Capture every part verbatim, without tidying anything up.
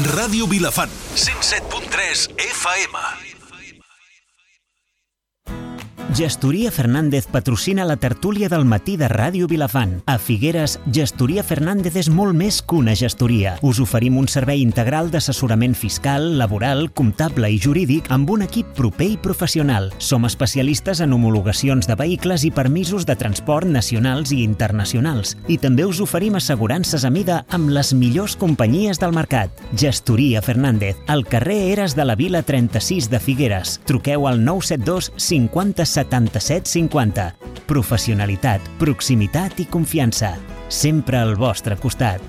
Ràdio Vilafant, cent set punt tres F M. Gestoria Fernández patrocina la tertúlia del matí de Ràdio Vilafant. A Figueres, Gestoria Fernández és molt més que una gestoria. Us oferim un servei integral d'assessorament fiscal, laboral, comptable i jurídic amb un equip proper i professional. Som especialistes en homologacions de vehicles i permisos de transport nacionals i internacionals. I també us oferim assegurances a mida amb les millors companyies del mercat. Gestoria Fernández, al carrer Eres de la Vila trenta-sis de Figueres. Truqueu al nou set dos cinquanta setanta-set cinquanta. Professionalitat, proximitat i confiança. Sempre al vostre costat.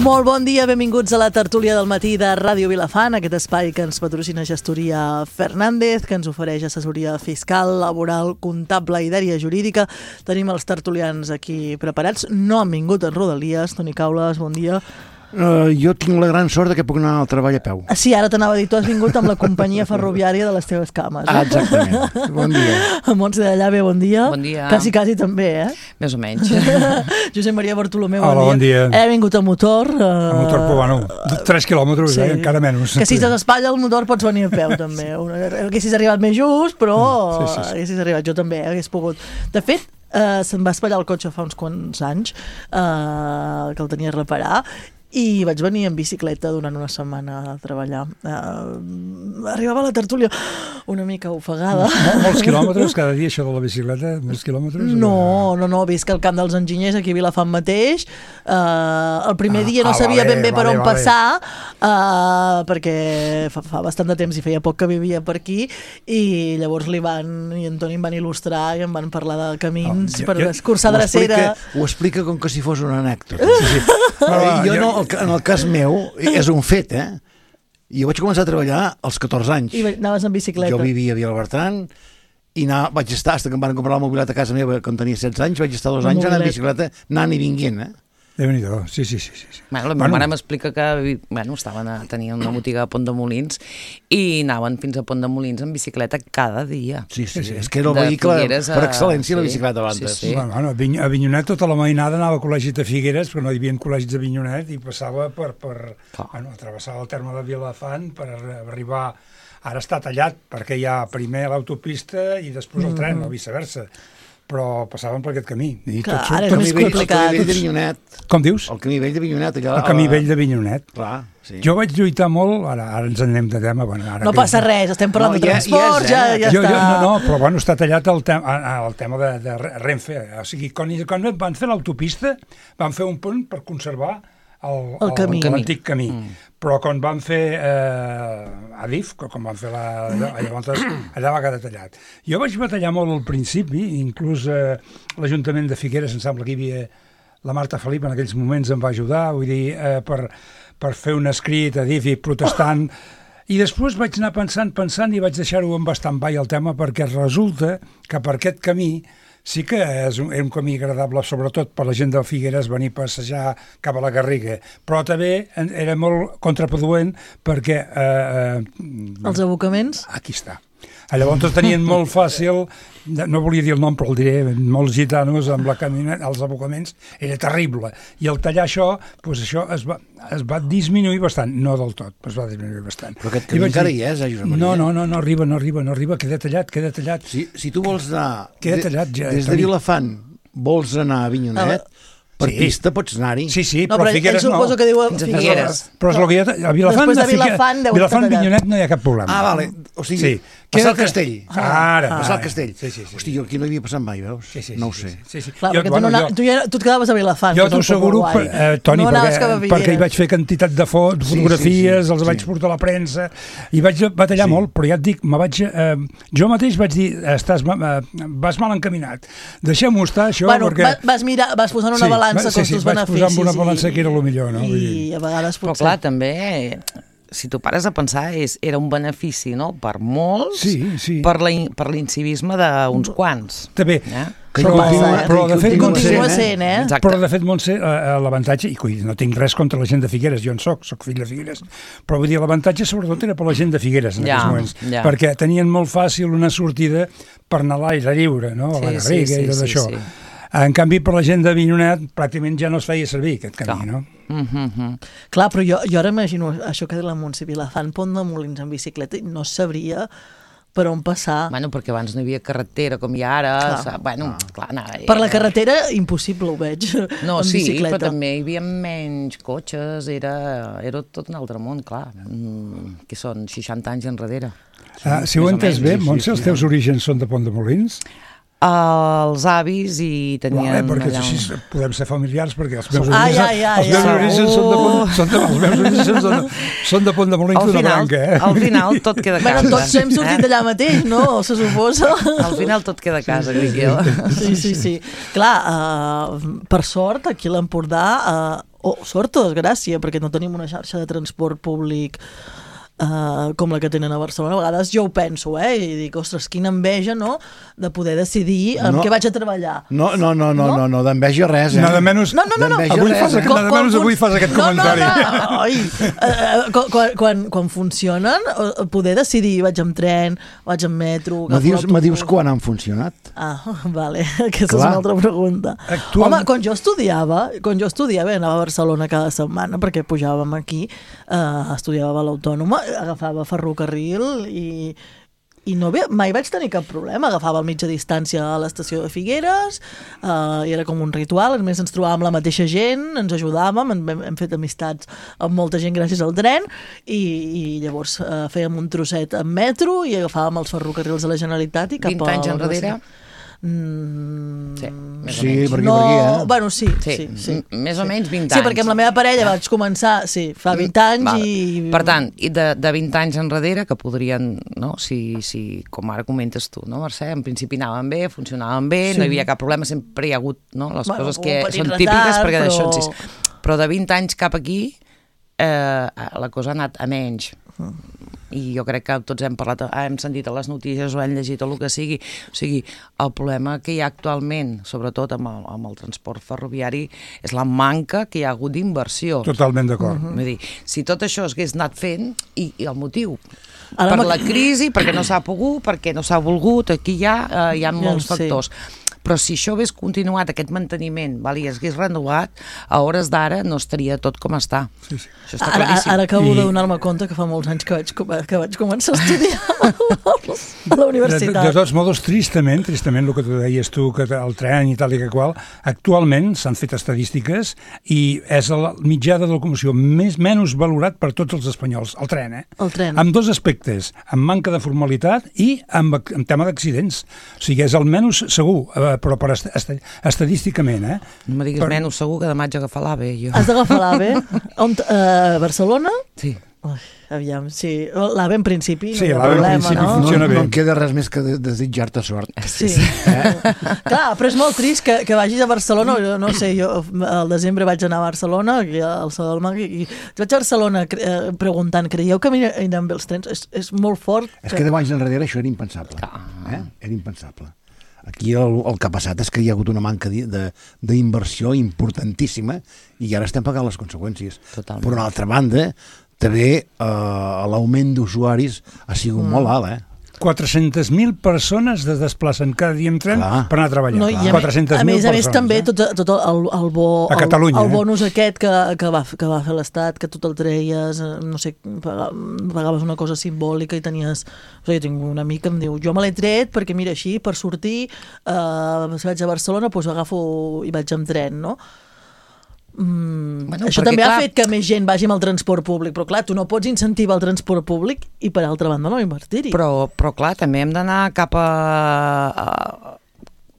Molt bon dia, benvinguts a la tertúlia del matí de Ràdio Vilafant, aquest espai que ens patrocina Gestoria Fernández, que ens ofereix assessoria fiscal, laboral, comptable i d'àrea jurídica. Tenim els tertulians aquí preparats. No han vingut en Rodalies. Toni Caules, bon dia. Uh, jo tinc la gran sort de que puc anar al treball a peu. Sí, ara t'anava a dir, tu has vingut amb la companyia ferroviària de les teves cames. Eh? Ah, exactament. Bon dia. Montse de Llave, bon dia. Bon dia. Quasi, quasi també, eh? Més o menys. Josep Maria Bartolomeu, Hola, bon dia. bon dia. He vingut a motor. Uh... A motor, però bueno, tres quilòmetres, sí. eh, encara menys. Que si t'espatlla el motor pots venir a peu, també. Haguessis arribat més just, però sí, sí, sí. haguessis arribat, jo també, hagués pogut. De fet, uh, se'm va espatllar el cotxe fa uns quants anys, uh, que el tenia a reparar, i vaig venir en bicicleta durant una setmana a treballar. Uh, arribava a la tertúlia una mica ofegada. Mol, molts quilòmetres cada dia, això de la bicicleta? Molts quilòmetres? No, no, no, visc al camp dels enginyers, aquí a Vilafant mateix. Uh, el primer ah, dia no ah, sabia vale, ben bé per vale, on vale. passar, uh, perquè fa, fa bastant de temps i feia poc que vivia per aquí, i llavors l'Ivan i en Toni em van il·lustrar i em van parlar de camins oh, jo, per jo, escurçar drecera. Ho explica com que si fos una anècdota. Sí, sí. No, jo no, en el cas meu, és un fet, eh? Jo vaig començar a treballar als catorze anys. I anaves en bicicleta. Jo vivia a Vilabertran i anava, vaig estar, fins que em van comprar la mobilitat a casa meva quan tenia setze anys, vaig estar dos anys anant en bicicleta, anant i vinguent, eh? Déu-n'hi-do, sí, sí, sí, sí. Bueno, la meva bueno. mare m'explica que bueno, estaven a, tenien una botiga a Pont de Molins i anaven fins a Pont de Molins en bicicleta cada dia. Sí, sí, sí. És que era el vehicle a... per excel·lència, sí, la bicicleta abans. Sí, sí. Bueno, bueno, a Avinyonet tota la mainada anava a col·legis de Figueres, però no hi havia col·legis d'Avinyonet, i passava per, per oh. bueno, travessava el terme de Vilafant per arribar... Ara està tallat, perquè hi ha primer l'autopista i després el tren, mm-hmm. o viceversa. Però passaven per aquest camí. I tot, clar, ara és més complicat. El camí vell d'Avinyonet. Com dius? El camí vell d'Avinyonet. Allà, el camí vell d'Avinyonet. Clar, sí. Jo vaig lluitar molt, ara, ara ens anem de tema. Bueno, ara no passa res, estem parlant no, de transport, ja, ja, ja, ja jo, està. Jo, no, no, però bueno, està tallat el, te el tema de, de Renfe. O sigui, quan, quan van fer l'autopista, van fer un pont per conservar el, el camí. l'antic camí. Mm. Però quan van fer eh, Adif, quan van fer la... Llavors, allà va quedar tallat. Jo vaig batallar molt al principi, inclús eh, l'Ajuntament de Figueres, em sembla que hi havia la Marta Felip en aquells moments em va ajudar, vull dir, eh, per, per fer un escrit a Adif i protestant. I després vaig anar pensant, pensant i vaig deixar-ho en bastant ball el tema, perquè resulta que per aquest camí sí que és un, és un camí agradable, sobretot per la gent de Figueres, venir a passejar cap a la Garriga, però també era molt contraproduent perquè... Eh, eh, els abocaments? Aquí està. Llavors tenien molt fàcil, no volia dir el nom però el diré, molts gitanos amb la camioneta, els abocaments, era terrible. I al tallar això, doncs això es va, es va disminuir bastant, no del tot, però es va disminuir bastant. Però aquest camí encara hi és, eh, Josep Maria? No, no, no, no arriba, no arriba, no arriba, queda tallat, queda tallat. Si, si tu vols anar queda tallat, ja, des de Vilafant, vols anar a Avinyonet, per sí. pista pots anar-hi. Sí, sí, no, però, però Figueres no. Que diu fins a Figueres. Però és el que hi ha... A Vilafant, de Vilafant, Vilafant Vinyonet no hi ha cap problema. Ah, vale. O sigui, sí. passar el castell. Ah, ara. Passar el castell. Sí, sí, sí. Hosti, jo aquí no hi havia passat mai, veus? Sí, sí, no ho sí, sé. Sí, sí, sí. Clar, jo, perquè bueno, tu, no, jo, tu, ja, tu et quedaves a Vilafant. Jo t'ho asseguro, eh, Toni, no perquè, perquè hi vaig fer quantitat de fotos, sí, fotografies, sí, sí, els sí. vaig portar a la premsa, i vaig batallar sí. molt, però ja et dic, me vaig, eh, jo mateix vaig dir, estàs, eh, vas mal encaminat, deixem-ho estar, això, bueno, perquè... Vas, mirar, vas posar una sí, balança sí, sí, costos-beneficis. Vaig posar en una balança que era el millor, no? I a vegades potser... Però clar, també... Si tu pares a pensar, és, era un benefici, no?, per molts, sí, sí. per l'incivisme d'uns quants. També. Eh? Que Però, passa, però, eh? però de fet, Continua Montse, sent, eh? Exacte. Però de fet, Montse, eh, l'avantatge, i coi, no tinc res contra la gent de Figueres, jo en soc, soc fill de Figueres, però vull dir, l'avantatge sobretot era per la gent de Figueres en Ja, aquells moments, ja. perquè tenien molt fàcil una sortida per anar a l'aire lliure, no? A la Sí, sí, Garriga sí, i tot sí, això. sí. En canvi, per la gent de Avinyonet, pràcticament ja no es feia servir aquest camí, Clar. no? Mm -hmm. Clar, però jo, jo ara imagino això que de la Montse Vilafant, Pont de Molins en bicicleta, i no sabria per on passar. Bueno, perquè abans no hi havia carretera com hi ha ara. Clar. Sa, bueno, clar, anava... Per la carretera, impossible, ho veig, No, en sí, bicicleta. però també hi havia menys cotxes, era, era tot un altre món, clar. Mm, que són seixanta anys enrere. Ah, si ho més o entès menys, bé, sí, Montse, sí, els sí. teus orígens són de Pont de Molins? Els avis i tenien... Vale, perquè allà així un- podem ser familiars, perquè els meus Ah, orígens, ja, ja, els meus ja. orígens són de Pont, són de, els meus orígens són de, són de Pont de Molins Al d'una final, branca, eh? al final tot queda a casa. Bueno, tots hem sortit eh? d'allà mateix, no? Se suposa. Al final tot queda a casa, Guiquel. Sí, sí, sí. Clar, uh, per sort, aquí a l'Empordà, uh, o oh, sort o desgràcia, perquè no tenim una xarxa de transport públic Uh, com la que tenen a Barcelona. A vegades jo ho penso, eh? I dic, ostres, quina enveja, no?, de poder decidir amb No. què vaig a treballar. No, no, no, no, No? no, no d'enveja res, eh? Nada menys, No, no, no, no. D'enveja avui res, fas eh? aquest, nada menys avui fas aquest comentari. No, no, no. Oi, uh, quan, quan, quan, quan funcionen, uh, poder decidir, vaig amb tren, vaig amb metro... Me agafo dius, me l'autobús. dius quan han funcionat? Ah, vale, aquesta Clar. és una altra pregunta. Actual- Home, quan jo estudiava, quan jo estudiava, anava a Barcelona cada setmana perquè pujàvem aquí, eh, estudiava a l'Autònoma, agafava ferrocarril i, i no ve, mai vaig tenir cap problema. Agafava el mitja distància a l'estació de Figueres, eh, i era com un ritual. A més, ens trobàvem la mateixa gent, ens ajudàvem, hem, hem fet amistats amb molta gent gràcies al tren, i, i llavors eh, fèiem un trosset en metro i agafàvem els ferrocarrils de la Generalitat i cap vint a anys la enrere? universitat. Mm, Sí, més Sí, o menys. per aquí, no, per aquí, eh? bueno, sí, sí, Sí, sí, sí. m- més o menys vint Sí, anys. perquè amb la meva parella vaig començar, sí, fa vint anys Val. i... Per tant, i de, de vint anys enrere, que podrien, no, si, si, com ara comentes tu, no, Mercè, en principi anaven bé, funcionaven bé, Sí. no hi havia cap problema, sempre hi ha hagut, no, les Bueno, coses un que petit són retard, típiques, perquè però- d'això en sis. Però de vint anys cap aquí, eh, la cosa ha anat a menys. I jo crec que tots hem parlat, hem sentit a les notícies o hem llegit o el que sigui. O sigui, el problema que hi ha actualment, sobretot amb el, amb el transport ferroviari, és la manca que hi ha hagut d'inversió. Totalment d'acord. Mm -hmm. Vull dir, si tot això s'hagués anat fent, i, i el motiu, Ara per m'ha- la crisi, perquè no s'ha pogut, perquè no s'ha volgut, aquí hi ha, eh, hi ha molts sí. factors. Però si això hagués continuat, aquest manteniment, val, i es hagués renovat, a hores d'ara no estaria tot com està. Sí, sí. Això està Ara, ara, claríssim. ara acabo I- de donar-me compte que fa molts anys que vaig, com- que vaig començar a estudiar a la De, universitat. de tots modos, tristament, tristament, el que tu deies tu, que el tren i tal i que qual, actualment s'han fet estadístiques i és el mitjà de locomoció més menys valorat per tots els espanyols, el tren, eh? El tren. Amb dos aspectes, amb manca de formalitat i amb, amb tema d'accidents. O sigui, és el menys segur, eh, però per est est estadísticament, eh? No me diguis Per- menys segur que demà haig d'agafar l'AVE, jo. Has d'agafar l'AVE? On, uh, Barcelona? Sí. Ui, aviam, sí. L'AVE en principi no Sí, hi ha l'AVE en problema, principi no? funciona. no, bé. no em queda res més que de- desitjar-te sort. Sí. Eh? Clar, però és molt trist que, que vagis a Barcelona, jo no sé, jo al desembre vaig anar a Barcelona, aquí al Saló del Mag, i vaig a Barcelona eh, preguntant, creieu que aniran bé els trens? És, és molt fort. És que deu anys enrere això era impensable. Eh? Era impensable. Aquí el, el que ha passat és que hi ha hagut una manca di- de- d'inversió importantíssima i ara estem pagant les conseqüències. Totalment. Per una altra banda, també eh, l'augment d'usuaris ha sigut mm. molt alt, eh? quatre-centes mil persones es desplacen cada dia en tren Clar. per anar a treballar. No, i a, quatre-centes a mil més a més persones, també eh? tot, tot el, el bo A Catalunya, el, el eh? bonus aquest que, que, va, que va fer l'Estat, que tu te'l treies, eh, no sé, paga- pagaves una cosa simbòlica i tenies... O sigui, jo tinc un amic que em diu, jo me l'he tret perquè mira així, per sortir, eh, si vaig a Barcelona, doncs agafo i vaig amb tren, no? Mm, Bueno, això perquè, també clar- ha fet que més gent vagi amb el transport públic, però clar, tu no pots incentivar el transport públic i per altra banda no invertir-hi. Però, però clar, també hem d'anar cap a, a,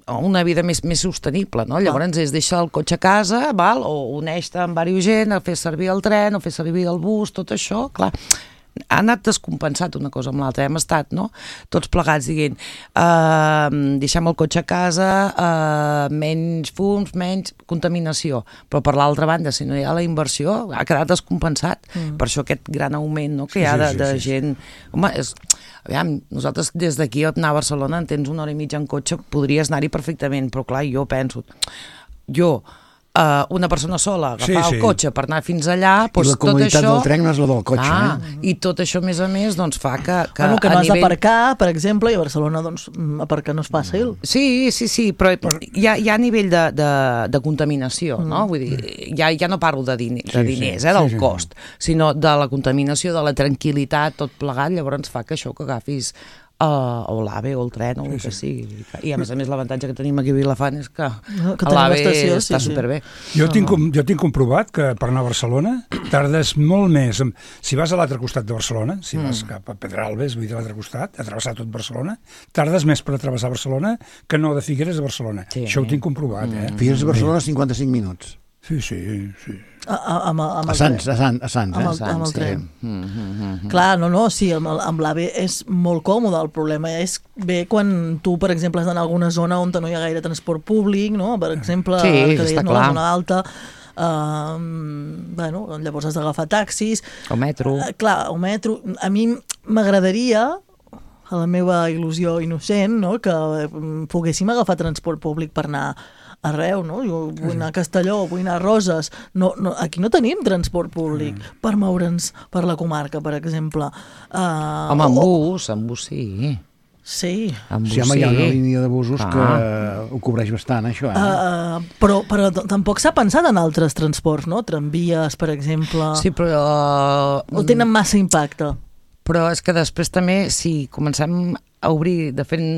a una vida més, més sostenible, no? Llavors és deixar el cotxe a casa, val? O uneix-te amb diversa gent, a fer servir el tren, o fer servir el bus, tot això, clar, ha anat descompensat una cosa amb l'altra. Hem estat, no?, tots plegats dient uh, deixem el cotxe a casa, uh, menys fums, menys contaminació, però per l'altra banda, si no hi ha la inversió, ha quedat descompensat. Mm. Per això aquest gran augment, no?, que hi ha de, de sí, sí, gent... Sí. Home, és... Aviam, nosaltres des d'aquí a anar a Barcelona en tens una hora i mitja en cotxe, podries anar-hi perfectament, però clar, jo penso... Jo... Uh, una persona sola, agafar sí, sí. el cotxe per anar fins allà, doncs I la comoditat tot això... del tren no és la del cotxe, ah, eh? I tot això, a més a més, doncs fa que... que bueno, que no a has nivell... d'aparcar, per exemple, i a Barcelona, doncs, aparcar no és fàcil. Sí, sí, sí, però hi ha, hi ha nivell de, de, de contaminació, mm. no? Vull dir, ja, ja no parlo de, diner, de diners, sí, sí, eh, del sí, sí. cost, sinó de la contaminació, de la tranquil·litat, tot plegat, llavors fa que això que agafis Uh, o l'AVE o el tren o el sí, que sí. sigui. I a més a més l'avantatge que tenim aquí a Vilafant és que, no, que l'AVE està sí, superbé. Sí. Jo, tinc, jo tinc comprovat que per anar a Barcelona tardes molt més. Si vas a l'altre costat de Barcelona, si vas mm. cap a Pedralbes, vull dir a l'altre costat, a travessar tot Barcelona, tardes més per travessar Barcelona que no de Figueres a Barcelona. Sí. Això ho tinc comprovat. Mm. Eh? Figueres a Barcelona, cinquanta-cinc minuts. Sí, sí, sí. A, a, amb, amb a Sants, a Sants, a Sants, amb el, eh? amb el tren. Sí. Mm, mm, mm. Clar, no, no, sí, amb, amb l'AVE és molt còmode, el problema és bé quan tu, per exemple, has d'anar a alguna zona on no hi ha gaire transport públic, no? Per exemple, sí, que deies, està no, clar. la zona alta, uh, bueno, llavors has d'agafar taxis. O metro. Uh, clar, o metro. A mi m'agradaria, a la meva il·lusió innocent, no?, que poguéssim agafar transport públic per anar arreu, no? Jo vull anar a Castelló, vull anar a Roses. No, no, aquí no tenim transport públic mm. per moure'ns per la comarca, per exemple. Uh, Home, amb o... bus, amb bus sí. Sí. Amb bus, sí, home, sí. hi ha una línia de busos ah. que ho cobreix bastant, això. Eh? Uh, però però tampoc s'ha pensat en altres transports, no? Tramvies, per exemple. Sí, però... O tenen massa impacte? Però és que després també, si comencem a obrir de fent...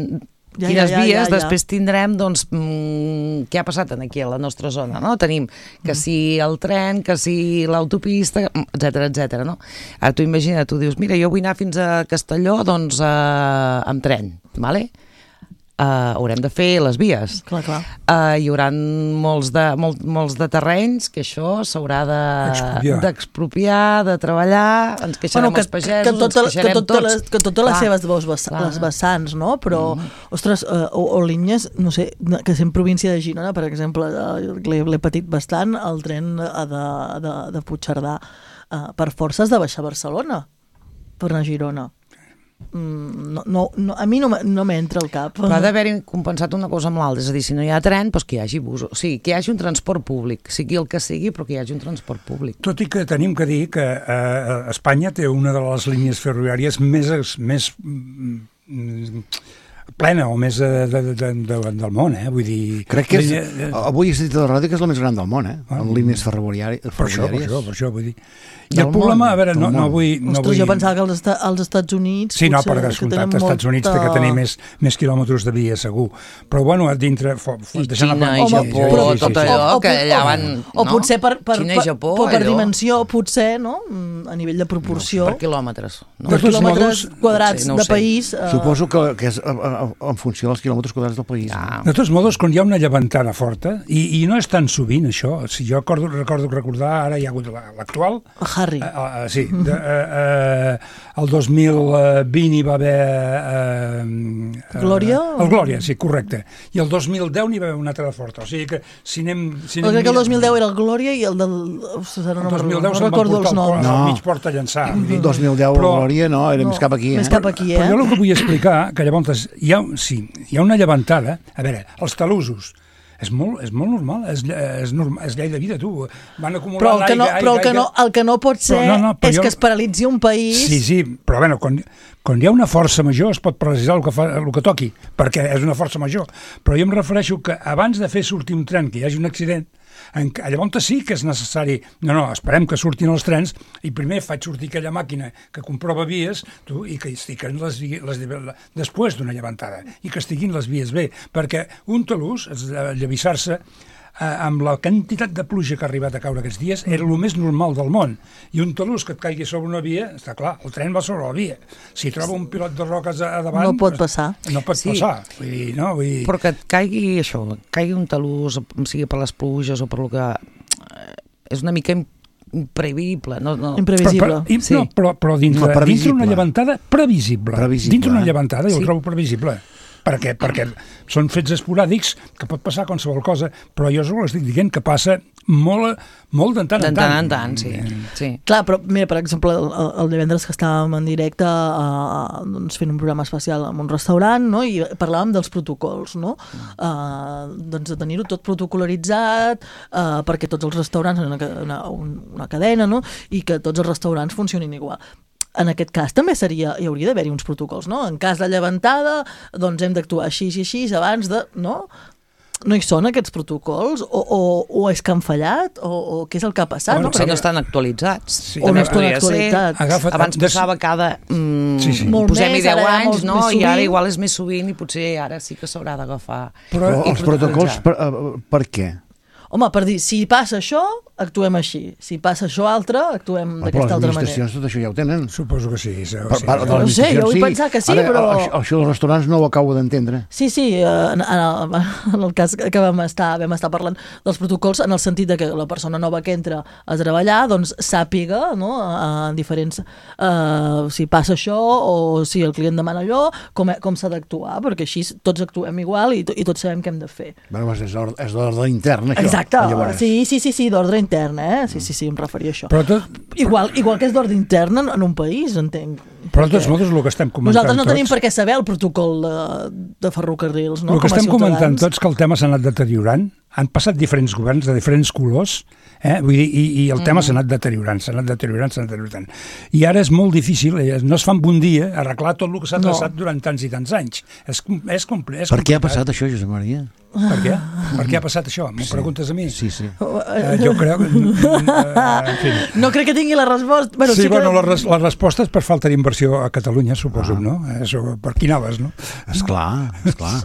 Ja, quines ja, ja, vies, ja, ja. després tindrem, doncs, mmm, què ha passat aquí a la nostra zona, no? Tenim que si el tren, que si l'autopista, etcètera, etcètera, no? Ara tu imagina, tu dius, mira, jo vull anar fins a Castelló, doncs, eh, amb tren, vale? Uh, haurem de fer les vies. Clar, clar. Uh, hi haurà molts de, molt, molts de terrenys que això s'haurà d'expropiar, de, de treballar, ens queixarem bueno, que, els pagesos, que tot, ens queixarem que tot, tots. Les, que totes les seves dos vess les vessants, no? Però, mm. ostres, uh, o, o línies, no sé, que sent província de Girona, per exemple, uh, l'he patit bastant, el tren de, de, de Puigcerdà, uh, per forces de baixar a Barcelona, per anar a Girona. No, no, no, a mi no, no m'entra al cap. Però ha d'haver compensat una cosa amb l'altra, és a dir, si no hi ha tren, doncs que hi hagi bus, o sigui, que hi hagi un transport públic, sigui el que sigui, però que hi hagi un transport públic. Tot i que tenim que dir que eh, Espanya té una de les línies ferroviàries més, més mm, plena o més de, de, de, de, del món, eh? Vull dir... Crec que és, línia... avui he sentit a la ràdio que és la més gran del món, eh? Ah, en línies ferroviàries. Per això, per això, per això, vull dir... I el problema, a veure, no, no vull... No Ostres, vull... jo pensava que als, esta, als Estats Units... Sí, no, per descomptat, als Estats Units té que tenir més, més quilòmetres de via, segur. Però, bueno, a dintre... For, I Xina i Japó, però, tot allò, o, o, que allà van... O, o potser per, per, Xina i Japó, per, per dimensió, potser, no? A nivell de proporció... No, per quilòmetres. No? Per quilòmetres quadrats no de país... Uh... Suposo que, que és en funció dels quilòmetres quadrats del país. Ah. De tots modos, quan hi ha una llevantada forta, i, i no és tan sovint, això, si jo recordo, recordo recordar, ara hi ha hagut l'actual... Harry. Uh, uh, sí, de, uh, uh, el dos mil vint hi va haver... Uh, Glòria? Uh, el Glòria, sí, correcte. I el dos mil deu n'hi va haver una altra de forta. O sigui que si anem... Si anem crec que el dos mil deu era el Glòria i el del... El dos mil deu no se'n van portar el, el, el mig port a llançar. El dos mil deu però, Glòria no, era no, més cap aquí. Més eh? cap aquí, eh? Però jo el que vull explicar, que llavors hi ha, sí, hi ha una llevantada, a veure, els talussos, és molt, és molt normal, és, és, normal, és llei de vida, tu. Van acumulant però el que no, aigua, però el que, no, el que no pot ser però, no, no, és jo... que es paralitzi un país... Sí, sí, però bueno, quan, quan hi ha una força major es pot paralitzar el que, fa, el que toqui, perquè és una força major. Però jo em refereixo que abans de fer sortir un tren, que hi hagi un accident, en, llavors sí que és necessari, no, no, esperem que surtin els trens i primer faig sortir aquella màquina que comprova vies tu, i que estiguin les, les, les, després d'una llevantada i que estiguin les vies bé, perquè un talús, llavissar-se eh, amb la quantitat de pluja que ha arribat a caure aquests dies era el més normal del món, i un talús que et caigui sobre una via, està clar, el tren va sobre la via, si troba un pilot de roques a, a davant no pot passar, no pot sí. passar vull dir, no, vull dir... però que et caigui això, caigui un talús, sigui per les pluges o per lo que... és una mica imprevisible. No, no. Imprevisible. Però, però, Sí. no, però, però dintre, No, previsible. dintre una llevantada previsible. Previsible, Dintre una eh? llevantada jo Sí. ho trobo previsible. Per què? Perquè són fets esporàdics que pot passar qualsevol cosa, però jo us estic dient que passa molt, molt de tant De en tant tant. en tant, sí. sí. Clar, però mira, per exemple, el, el divendres que estàvem en directe uh, doncs fent un programa especial en un restaurant, no? I parlàvem dels protocols, no? Uh, doncs de tenir-ho tot protocolaritzat uh, perquè tots els restaurants, una, una, una cadena, no? I que tots els restaurants funcionin igual. En aquest cas també seria, hi hauria d'haver-hi uns protocols, no? En cas de llevantada, doncs hem d'actuar així i així abans de... No? No hi són aquests protocols? O, o, o és que han fallat? O, o què és el que ha passat? Bueno, no? Si Perquè... no estan actualitzats. Sí. O no També estan podria ser. actualitzats. Agafa't- Abans des- passava cada... Mm, Sí, sí. Molt Posem-hi més, deu ara hi ha anys, molts no? més I ara sovint. igual és més sovint i potser ara sí que s'haurà d'agafar. Però i els protocols, protocolitzar. per, eh, per què? Home, per dir, si passa això, actuem així. Si passa això altre, actuem Però les d'aquesta altra manera. administracions tot això ja ho tenen. Suposo que sí. sí, Per sí. part de No les sé, jo vull administracions, pensar que sí, Ara, però- Això, això dels restaurants no ho acabo d'entendre. Sí, sí, eh, en, en, en el cas que vam estar, vam estar parlant dels protocols en el sentit de que la persona nova que entra a treballar doncs sàpiga, no?, en diferents... Eh, si passa això o si el client demana allò, com, com s'ha d'actuar, perquè així tots actuem igual i, to, i tots sabem què hem de fer. Bueno, és d'ordre és d'ordre intern, això. Exacte, Llavors. sí, sí, sí, sí, d'ordre intern, eh? Sí, sí, sí, em referia a això. Però, tot, Igual, igual que és d'ordre intern en, en un país, entenc. però de tots modos el que estem comentant Nosaltres no tenim tots, per què saber el protocol de, de ferrocarrils, no? el que Com a estem comentant ciutadans. tots que el tema s'ha anat deteriorant, han passat diferents governs de diferents colors, eh? Vull dir, i, i el tema s'ha anat deteriorant, s'ha anat deteriorant, s'ha anat deteriorant. I ara és molt difícil, eh, no es fa en un dia, arreglar tot el que s'ha No. traçat durant tants i tants anys. És, com- és, compli és Per què ha complicat. passat això, Josep Maria? Per què? Per què ha passat això? M'ho preguntes a mi? Sí, sí. Eh, jo crec que... Eh, en fi. No crec que tingui la resposta. Bueno, Sí, sí, bueno, que... la, res, la resposta és per falta d'inversió a Catalunya, suposo, no? Això, per quin ales, no? Esclar, esclar.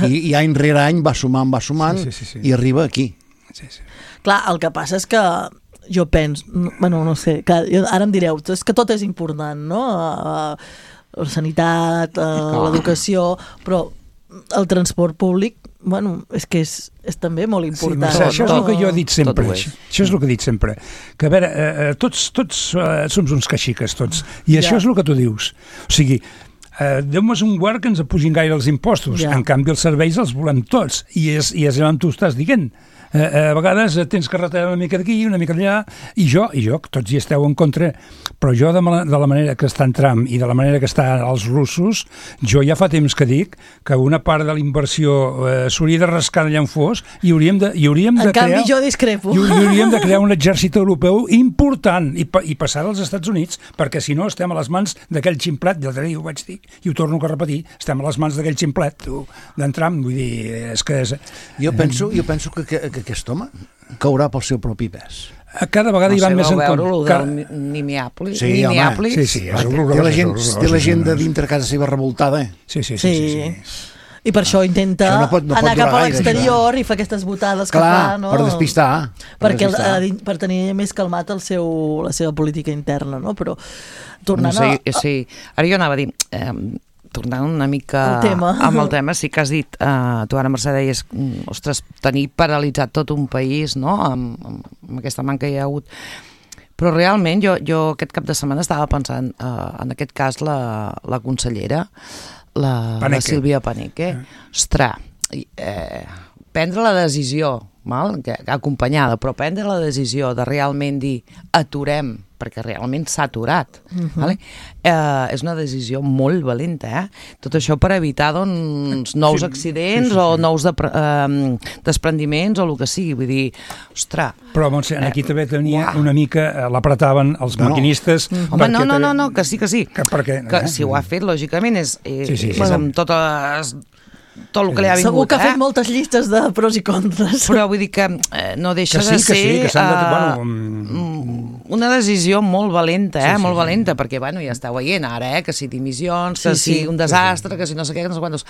I, i, I any rere any va sumant, va sumant, Sí, sí, sí, sí. i arriba aquí. Sí, sí. Clar, el que passa és que jo penso, bueno, no sé, que jo, ara em direu, és que tot és important, no? Uh, la sanitat, uh, l'educació, però el transport públic, bueno, és que és, és també molt Sí, important. Mercè, això és no? el que jo he dit sempre. Tot ho és. Això, això és el que he dit sempre. Que, a veure, eh, eh, tots, tots eh, som uns caxiques, tots. I això Ja. és el que tu dius. O sigui, eh, Déu-me un guard que ens apugin gaire els impostos. Ja. En canvi, els serveis els volem tots. I és, i és on tu estàs dient. Eh, eh, a vegades eh, tens que retallar una mica d'aquí, una mica d'allà, i jo, i jo, que tots hi esteu en contra, però jo de, ma- de la manera que està en Trump i de la manera que estan els russos, jo ja fa temps que dic que una part de la inversió eh, s'hauria de rascar allà on fos i hauríem de, i hauríem de En canvi, crear... jo discrepo. I hauríem de crear un exèrcit europeu important i, pa, i passar als Estats Units, perquè si no estem a les mans d'aquell ximplet, i l'altre dia ho vaig dir, i ho torno a repetir, estem a les mans d'aquell ximplet, tu, d'en Trump, vull dir, és que... És, Jo penso, jo penso que, que, que aquest home caurà pel seu propi pes. cada vegada No hi sé, van més vau en veure lo compte. del Cada... Minneapolis? Sí, home, Minneapolis? Sí, sí, és Té horrorós. la gent, és horrorós, té la és gent de horrorós. dintre casa seva revoltada, eh? Sí, sí, sí. sí, sí, Sí. I per això intenta Això no pot- no pot anar cap durar a gaire, l'exterior i fa aquestes botades que Clar, fa, no? per despistar. Per Perquè el, despistar. eh, per tenir més calmat el seu, la seva política interna, no? Però No tornant sé, a... sí. Ara jo anava a dir, eh, tornant una mica El tema. amb el tema, sí que has dit, eh, tu ara, Mercè, deies, mm, ostres, tenir paralitzat tot un país, no?, amb, amb, amb aquesta manca que hi ha hagut. Però realment jo, jo aquest cap de setmana estava pensant, eh, en aquest cas, la, la consellera, la, la Paneque. Sílvia Paneque, ostres, eh, prendre la decisió, mal, que, acompanyada, però prendre la decisió de realment dir aturem, perquè realment s'ha aturat, uh-huh. vale? eh, és una decisió molt valenta, eh? Tot això per evitar doncs, nous Sí, accidents sí, sí, sí. o nous de, eh, desprendiments o el que sigui, vull dir, ostres, Però, Montse, aquí Eh, també tenia uah. una mica, eh, l'apretaven els No, no. maquinistes... home, no, perquè no, també- no, no, que sí, que sí, Que perquè, que eh? si ho ha fet, lògicament, és, eh, Sí, sí, és sí. amb totes, tot el que li ha vingut, Segur que ha eh? fet moltes llistes de pros i contres. Però vull dir que eh, no deixa Que sí, de que ser sí, que s'han de- eh, bueno, mm, una decisió molt valenta, eh? Sí, sí, molt sí. valenta, perquè bueno, ja està veient ara, eh? que si dimissions, que Sí, sí. si un desastre, que si no sé què, que no sé quantos...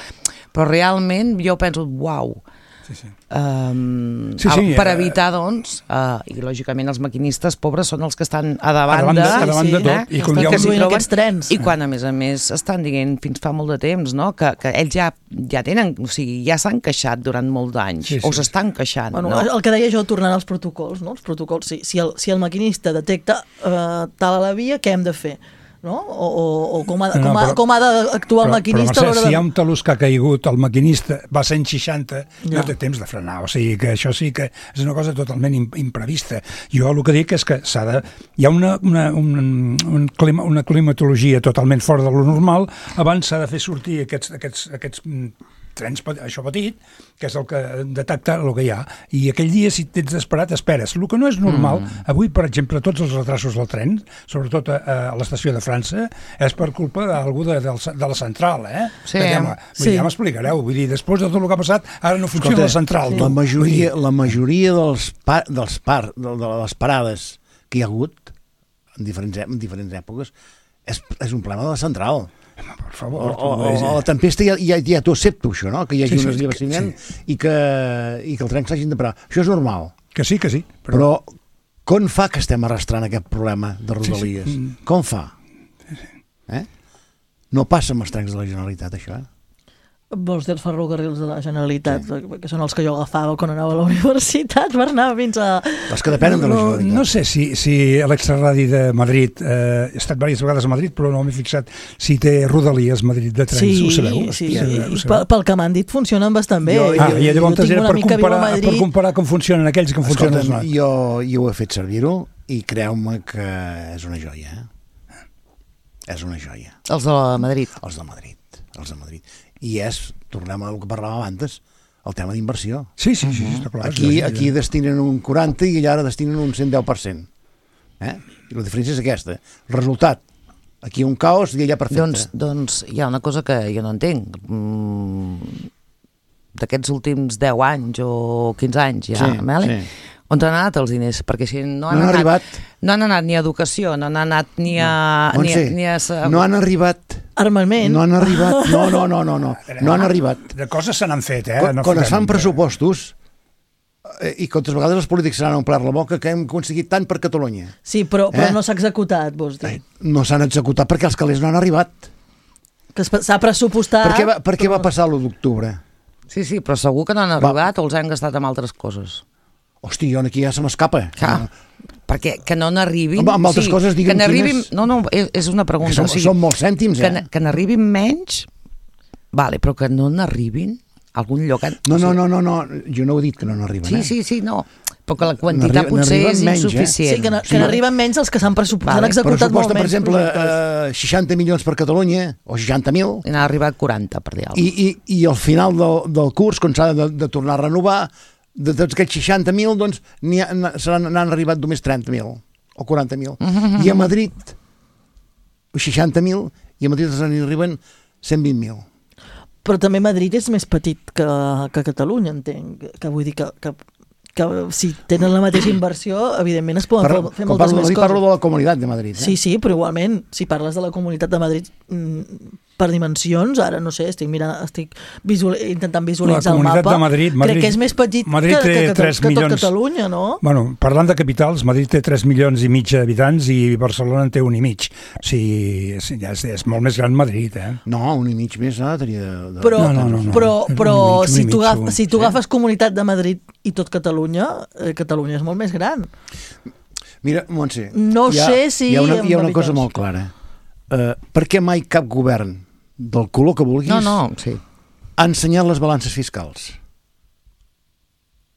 Però realment jo penso, uau, Sí, sí. Um, Sí, sí, per eh, evitar, doncs, uh, i lògicament els maquinistes pobres són els que estan a davant, A davant de- a davant de eh? tot. I com hi ha que un- s'hi conduint troben, aquests trens. i quan a més a més estan dient fins fa molt de temps, no? que, que ells ja, ja tenen, o sigui, ja s'han queixat durant molts d'anys, Sí, sí. o s'estan queixant, Bueno, no? el que deia jo, tornant als protocols, no? Els protocols, si, si, el, si el maquinista detecta eh, tal a la via, què hem de fer? No? O, o, o com, ha, No, com, ha, però- com ha d'actuar el Però, maquinista però a Mercè, l'hora si de... hi ha un talús que ha caigut, el maquinista va a cent seixanta, Ja. no té temps de frenar, o sigui que això sí que és una cosa totalment im- imprevista. Jo el que dic és que s'ha de... Hi ha una, una, un, un clima, una climatologia totalment fora de lo normal, abans s'ha de fer sortir aquests, aquests, aquests mm, trens, pe- això petit, que és el que detecta el que hi ha, i aquell dia, si tens desesperat, esperes. El que no és normal, mm. avui, per exemple, tots els retrasos del tren, sobretot a, a l'estació de França, és per culpa d'algú de, de, de la central, eh? Sí. Que ja, vull Sí. dir, ja m'explicareu, vull dir, després de tot el que ha passat, ara no funciona Escolta, la central. la tu. majoria, la majoria dels, pa, dels par, de, de les parades que hi ha hagut en diferents, en diferents èpoques és, és un problema de la central. Home, per O, favor. o, o, o la tempesta ja, ja, ja t'ho accepto, això, no? Que hi hagi Sí, sí, sí, un esllevaciment sí. i, que, i que el tren s'hagin de parar. Això és normal. Que sí, que sí. Però, Però com fa que estem arrastrant aquest problema de Rodalies? Sí, sí. Com fa? Eh? No passa amb els trens de la Generalitat, això, eh? Vols dir els ferrocarrils de la Generalitat, sí. que són els que jo agafava quan anava a la universitat per anar fins a... Els que depenen de la no, Generalitat. no sé si, si l'extraradi de Madrid, eh, he estat diverses vegades a Madrid, però no m'he fixat si té Rodalies Madrid de trens, Sí, ho sabeu? sí, Ho sabeu? i Ho sabeu? pel, pel que m'han dit funcionen bastant bé. Jo- Ah, i llavors tinc era una per amica que viu a comparar, per Madrid. comparar com funcionen aquells i com funcionen els Escolta'm, nostres. jo, jo ho he fet servir-ho i creu-me que és una joia, eh? És una joia. Els de Madrid. Els de Madrid, els de Madrid. I és, tornem al que parlàvem abans, el tema d'inversió. Sí, sí, sí, està clar. Aquí, és aquí destinen un quaranta i allà ara destinen un cent deu per cent. Eh? I la diferència és aquesta. El resultat, aquí un caos i allà perfecte. Doncs, doncs hi ha una cosa que jo no entenc. Mm, d'aquests últims deu anys o quinze anys ja, Sí, Meli? sí. On han anat els diners? Perquè si no han, No han anat, arribat. no han anat ni a educació, no han anat ni a... ni, a- Montse, ni a... no han arribat. Armament. No han arribat. No, no, no, no, no. No han arribat. De coses se n'han fet, eh? Quan, No quan es fan fotem- pressupostos eh, i que altres vegades els polítics se n'han omplert la boca que hem aconseguit tant per Catalunya. Sí, però, però Eh? no s'ha executat, vols dir. Eh, No s'han executat perquè els calés no han arribat. Que es- s'ha pressupostat... Per què va, per què va passar l'u d'octubre? Sí, sí, però segur que no han arribat o els han gastat amb altres coses. Hosti, jo aquí ja se m'escapa. Clar, perquè que no n'arribin... Amb- amb altres coses, digue'm que n'arribin... quines. No, no, és, és una pregunta. Que són- són molts cèntims, que, eh? n- Que n'arribin menys, vale, però que no n'arribin a algun lloc... No, no, no, no, no, jo no ho he dit que no n'arriben. Sí, eh? sí, sí, no. Però que la quantitat N'arriba- potser n'arriben és menys, eh? insuficient. Sí, que, no, Sí. que n'arriben menys els que s'han pressupostat, Vale. s'han executat molt Pressuposta, per menys exemple, projectes. eh, seixanta milions per Catalunya, o seixanta mil, I n'ha arribat quaranta, per dir alguna i, i, i al final del, del curs, quan s'ha de, de tornar a renovar, de tots aquests seixanta mil, doncs n'hi ha- n'han n'han arribat només trenta mil o quaranta mil. I a Madrid, seixanta mil, i a Madrid ens arriben cent vint mil. Però també Madrid és més petit que, que Catalunya, entenc. Que vull dir que, que, que si tenen la mateixa inversió, evidentment es poden Parlo, fer quan moltes parlo de més Madrid, coses. parlo de la Comunitat de Madrid. Eh? Sí, sí, però igualment, si parles de la Comunitat de Madrid mm, per dimensions, ara no sé, estic mirant, estic visual, intentant visualitzar La el Comunitat mapa. de Madrid- Madrid- Crec que és més petit Madrid que, té que, que, tres que tot milions. Catalunya, no? Bueno, parlant de capitals, Madrid té tres milions i mig d'habitants i Barcelona en té un i mig. O sigui, és, ja és, és molt més gran Madrid, eh? No, un i mig més, ah, tenia... De, Però, No, no, no, no. però, Un i però mig, un i si mig, tu, agaf, segur. si tu agafes Comunitat de Madrid i tot Catalunya, eh, Catalunya és molt més gran. Mira, Montse, No hi ha, sé si hi ha una, amb hi ha una cosa habitants. molt clara. Uh, per què mai cap govern del color que vulguis No, no, sí, ha ensenyat les balances fiscals?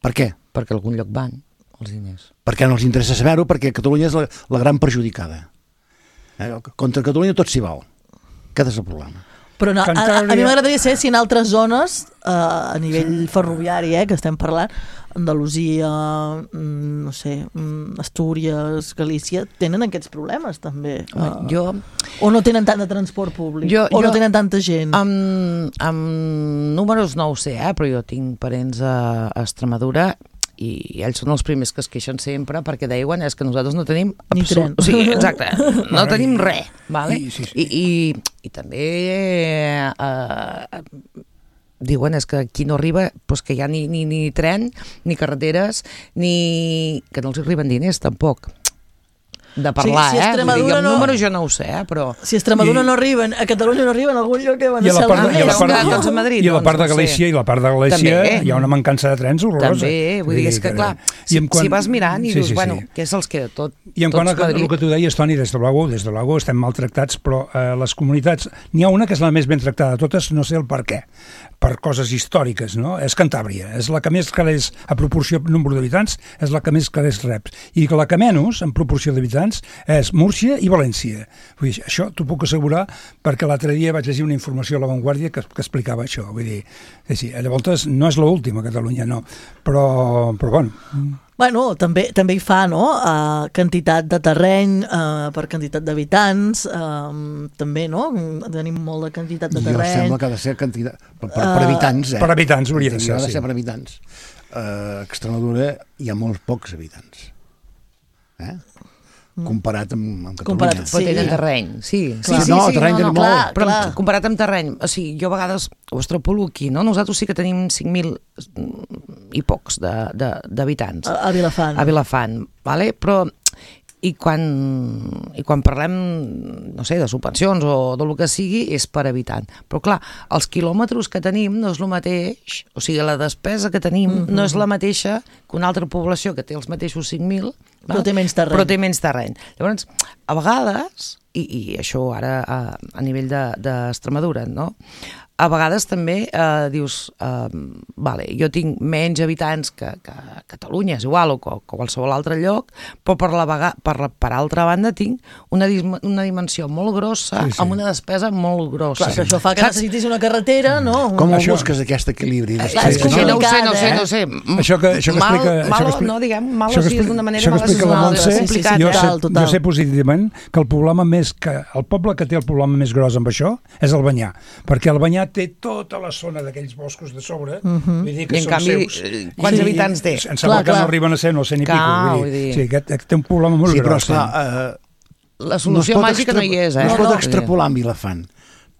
Per què? perquè a algun lloc van els diners. Perquè no els interessa saber-ho, perquè Catalunya és la, la gran perjudicada. Eh? Contra Catalunya tot s'hi val. Aquest és el problema. Però no, a, a, a mi Cantàbria- m'agradaria saber si en altres zones, eh, a nivell ferroviari, eh, que estem parlant, Andalusia, mm, no sé, mm, Astúries, Galícia, tenen aquests problemes també. Home, Eh, jo, o no tenen tant de transport públic, Jo- o no jo- tenen tanta gent. amb, amb números no ho sé, eh, però jo tinc parents a, a Extremadura i ells són els primers que es queixen sempre perquè diuen és que nosaltres no tenim Ni absolut- tren. o sigui, exacte, no Bueno, tenim i- res, vale? i- sí, sí. I, i, i també eh, diuen és que aquí no arriba, doncs que hi ha ni, ni, ni tren, ni carreteres, ni... que no els arriben diners, tampoc. De parlar, sí, si eh? Vull dir, el no... número jo no ho sé, eh? Però... Si a Extremadura I... no arriben, a Catalunya no arriben, a algun lloc que van I a la part, a i a la part, no? i a, Doncs a Madrid, i a la part de doncs, no Galícia sé. i la part de Galícia També. hi ha una mancança de trens horrorosa. També, vull dir, és que clar, si, quant... si vas mirant i sí, dius, sí, bueno, sí. què se'ls queda tot? I en quant a el que tu deies, Toni, des de l'Ago, des de l'Ago estem maltractats, però eh, les comunitats, n'hi ha una que és la més ben tractada de totes, no sé el per què, per coses històriques, no? És Cantàbria, és la que més calés a proporció número d'habitants, és la que més calés rep. I la que menys, en proporció d'habitants, és Múrcia i València. Vull dir, això t'ho puc assegurar perquè l'altre dia vaig llegir una informació a La Vanguardia que, que explicava això. Vull dir, sí, llavors no és l'última a Catalunya, no. Però, però bueno... Bueno, també, també hi fa, no?, uh, quantitat de terreny uh, per quantitat d'habitants, uh, també, no?, tenim molt de quantitat de terreny. Jo sembla que ha de ser quantitat, per, per, per habitants, eh? Per habitants hauria de ser, ha de sí. ser per habitants. Uh, a Extremadura hi ha molts pocs habitants. Eh? Comparat amb, amb Catalunya. Comparat, Però tenen terreny, sí. Clar. Sí, sí, No, sí, terreny no, tenen no, molt. clar, però Clar. comparat amb terreny, o sigui, jo a vegades ho extrapolo aquí, no? Nosaltres sí que tenim cinc mil i pocs de- de- d'habitants. A, a Vilafant. A Vilafant, vale? Però i quan, i quan parlem, no sé, de subvencions o del que sigui, és per habitant. Però clar, els quilòmetres que tenim no és el mateix, o sigui, la despesa que tenim mm -hmm. no és la mateixa que una altra població que té els mateixos cinc mil, Però té menys terreny. Però té menys terreny. Llavors, a vegades, i, i això ara a, a nivell d'Extremadura, de, no? A vegades també eh, dius, eh, vale, jo tinc menys habitants que, que Catalunya, és igual, o que qualsevol altre lloc, però per, la vega, per, la, per altra banda tinc una, una dimensió molt grossa, sí, sí. amb una despesa molt grossa. Clar, que això fa que Saps? necessitis una carretera, no? Com ho Això- busques, aquest equilibri? Clar, És és que no ho sé, no ho sé, complicat, no ho sé. Això que, això que mal, explica... mal, això que explica, no, diguem, mal això o que sigui, explica- d'una manera això que mal explica la assessorada, Montse, és complicat. jo, total, sé, total. jo sé positivament que el problema més que el poble que té el problema més gros amb això és el Banyà, perquè el Banyà té tota la zona d'aquells boscos de sobre, uh -huh. vull dir que I en són canvi, seus. eh, quants I- habitants té? Em sembla Clar, que clar. no arriben a ser, no sé ni Clar, pico. Vull vull dir, dir. sí, aquest, aquest té un problema molt Sí, però gros. esclar, eh, La solució no es pot màgica no hi és, eh? No es No, pot no. extrapolar en Vilafant,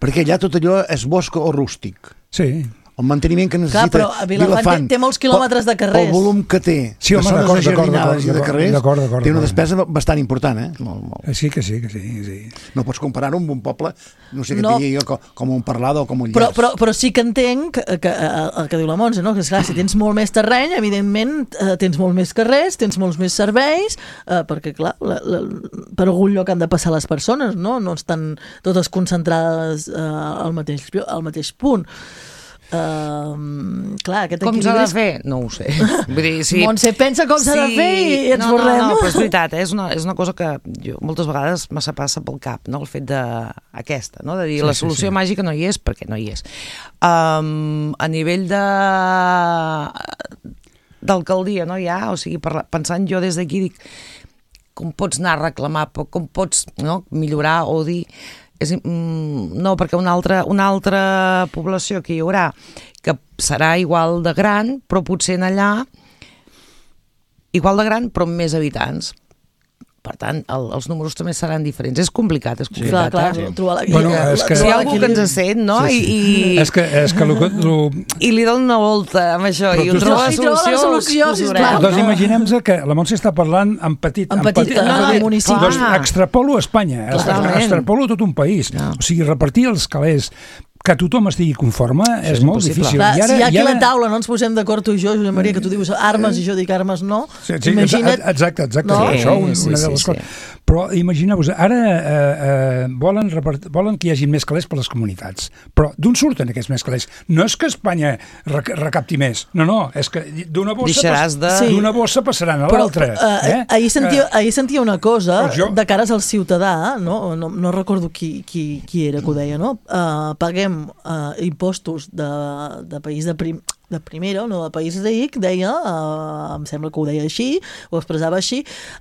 perquè allà tot allò és bosc o rústic. Sí. El manteniment que necessita Clar, però a Vilafant té- té molts quilòmetres de carrers. Pel volum que té, Sí, home, de zones d'acord, d'acord, ajardinades i de d'acord, carrers, d'acord, d'acord, té una d'acord. despesa bastant important, eh? Molt, molt. Eh, Sí que sí, que sí, sí. No pots comparar-ho amb un poble, no sé què No. no. digui jo, com, com un Parlada o com un Però, Llers. però, però sí que entenc que, que, eh, el que diu la Montse, no? Que esclar, si tens molt més terreny, evidentment eh, tens molt més carrers, tens molts més serveis, eh, perquè clar, la, la, per algun lloc han de passar les persones, no? No estan totes concentrades eh, al, mateix, al mateix punt. Uh, clar, aquest Com s'ha equilibri de és- fer? No ho sé. Vull dir, sí. Montse pensa com s'ha de fer i ens no, borrem. No, no, però és veritat, eh? és, una, és una cosa que jo moltes vegades me passa pel cap, no? El fet d'aquesta, no? De dir Sí, la sí, solució sí. màgica no hi és, perquè no hi és. Um, a nivell de d'alcaldia, no hi ha? O sigui, parla, pensant jo des d'aquí, dic, com pots anar a reclamar, però com pots no, millorar o dir... És, mm, no, perquè una altra, una altra població que hi haurà que serà igual de gran, però potser en allà igual de gran però amb més habitants. Per tant, el, els números també seran diferents. És complicat, és complicat. Clar, clar, eh? trobar la, Bueno, la- és que- Si hi trobar ha algú que l'equilibri. ens sent, no? Sí, sí. I, i, És que, és que lo, que- lo, i li dona una volta amb això Però i tu ho troba la I troba la solució, solució, us ho sisplau. veureu. doncs imaginem-nos que la Montse està parlant en petit. En petit, en en petit municipi. Doncs Clar. extrapolo a Espanya, Clarament. extrapolo a tot un país. No. O sigui, repartir els calés, que tothom estigui conforme, és, és molt impossible. difícil. Clar, I ara, si hi ha aquí i ara... a la taula no ens posem d'acord tu i jo, Josep Maria, que tu dius armes i jo dic armes no, Sí, sí, imagina't... exacte, exacte, No? no? Això, un, Sí, una sí, de les sí, coses. sí. Però imagineu-vos, ara eh, eh, volen, repart... volen que hi hagi més calés per les comunitats, però d'on surten aquests més calés? No és que Espanya rec recapti més, no, no, és que d'una bossa, Deixaràs de- Sí. d'una bossa passaran a Però l'altra. eh, Eh? ahir, sentia, ahir sentia una cosa Doncs jo- de cares al ciutadà, no, no, no recordo qui, qui, qui era que ho deia, no? Uh, paguem uh, impostos de, de país de prim... de primera, no de país ric, deia, uh, em sembla que ho deia així, ho expressava així,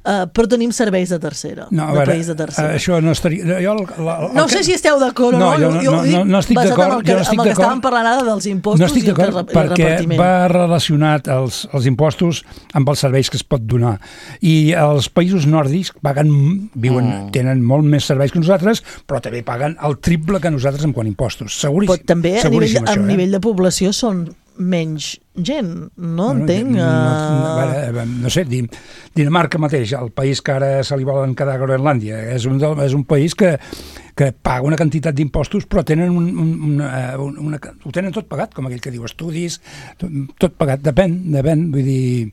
uh, però tenim serveis de tercera, no, de veure, país de tercera. Uh, això no estaria... Jo, el, la, el, no el sé que... si esteu d'acord o no, no, jo no, jo, no, no, no estic d'acord. Amb el que, no amb el que estàvem parlant ara dels impostos no estic i el, d'acord, el perquè repartiment. va relacionat els, els impostos amb els serveis que es pot donar. I els països nòrdics paguen, viuen, mm. tenen molt més serveis que nosaltres, però també paguen el triple que nosaltres en quant a impostos. Seguríssim. Però també a nivell, això, a eh? nivell de població són menys gent, no bueno, entenc. No, Uh... no, no sé, Dinamarca mateix, el país que ara se li volen quedar a Groenlàndia, és un, és un país que, que paga una quantitat d'impostos, però tenen un, un, una, una, ho tenen tot pagat, com aquell que diu estudis, tot, tot pagat, depèn, depèn, vull dir...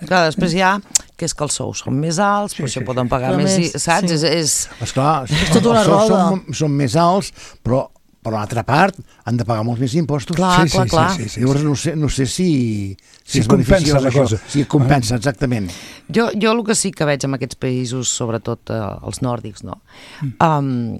Clar, després hi ha que és que els sous són més alts, sí, però això sí, poden pagar sí. més, més, saps? sí. És, és... Esclar, és tota una els sous roda. són, són més alts, però per l'altra part han de pagar molts més impostos. Clar, sí, clar, sí, clar. Sí, sí, sí, Llavors no sé, no sé si, si, si és compensa la això. cosa. Si compensa, exactament. Jo, jo el que sí que veig en aquests països, sobretot eh, els nòrdics, no? Um,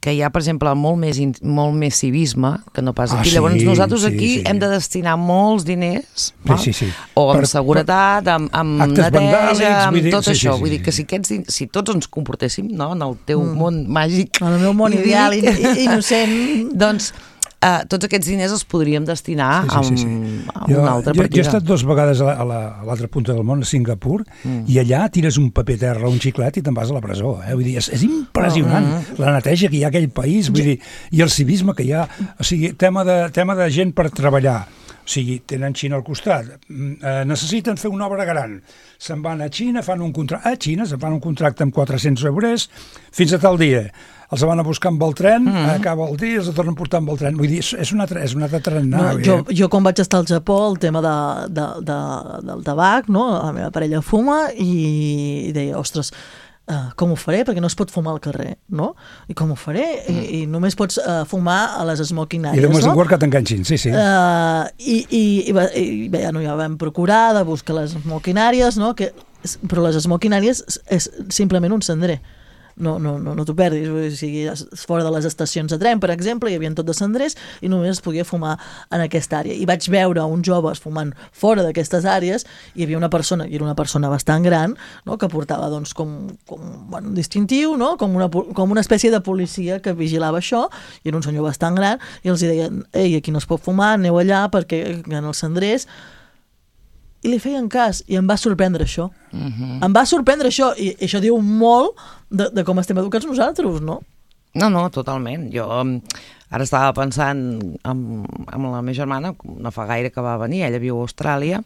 que hi ha, per exemple, molt més, in, molt més civisme que no pas aquí. Ah, sí, Llavors nosaltres sí, aquí sí. hem de destinar molts diners, Sí, no? sí, sí. O amb Per- seguretat, amb, amb actes neteja, vandàlics, amb vull dir, tot sí, sí, això. sí, Vull sí, dir que sí. si, aquests, si tots ens comportéssim, no?, en el teu mm. món màgic... En el meu món idíl·lic, ideal, i, innocent... doncs uh, tots aquests diners els podríem destinar Sí, sí, sí, sí. a, a Jo, una altra jo, partida. jo he estat dues vegades a, la, a, la, a l'altra punta del món, a Singapur, mm. i allà tires un paper terra o un xiclet i te'n vas a la presó. Eh? Vull dir, és, és impressionant Mm. la neteja que hi ha a aquell país, vull dir, i el civisme que hi ha. O sigui, tema de, tema de gent per treballar. O sigui, tenen Xina al costat, eh, necessiten fer una obra gran, se'n van a Xina, fan un contracte, a Xina se'n fan un contracte amb quatre-cents euros fins a tal dia, els van a buscar amb el tren, mm. acaba el dia, els tornen a portar amb el tren, vull dir, és, és una altra, és una altra trenada. No, jo, jo quan vaig estar al Japó, el tema de, de, de, del tabac, no? La meva parella fuma i, i deia, ostres, Uh, com ho faré? Perquè no es pot fumar al carrer, no? I com ho faré? Mm. I, I només pots uh, fumar a les smoking I areas, només no? un quart que t'enganxin, sí, sí. Uh, I i, i, va, i bé, no, ja vam procurar de buscar les smoking areas, no? Que, però les smoking areas és, és simplement un cendrer. No, no, no, no t'ho perdis, o sigui, fora de les estacions de tren, per exemple, hi havia tot de cendrers i només es podia fumar en aquesta àrea. I vaig veure uns joves fumant fora d'aquestes àrees i hi havia una persona, i era una persona bastant gran, no?, que portava doncs, com, com bueno, un distintiu, no?, com, una, com una espècie de policia que vigilava això, i era un senyor bastant gran, i els deien, ei, aquí no es pot fumar, aneu allà perquè en els cendrers... I li feien cas, i em va sorprendre això. Uh-huh. Em va sorprendre això, i això diu molt de, de com estem educats nosaltres, no? No, no, totalment. Jo um, ara estava pensant amb, amb la meva germana, no fa gaire que va venir, ella viu a Austràlia,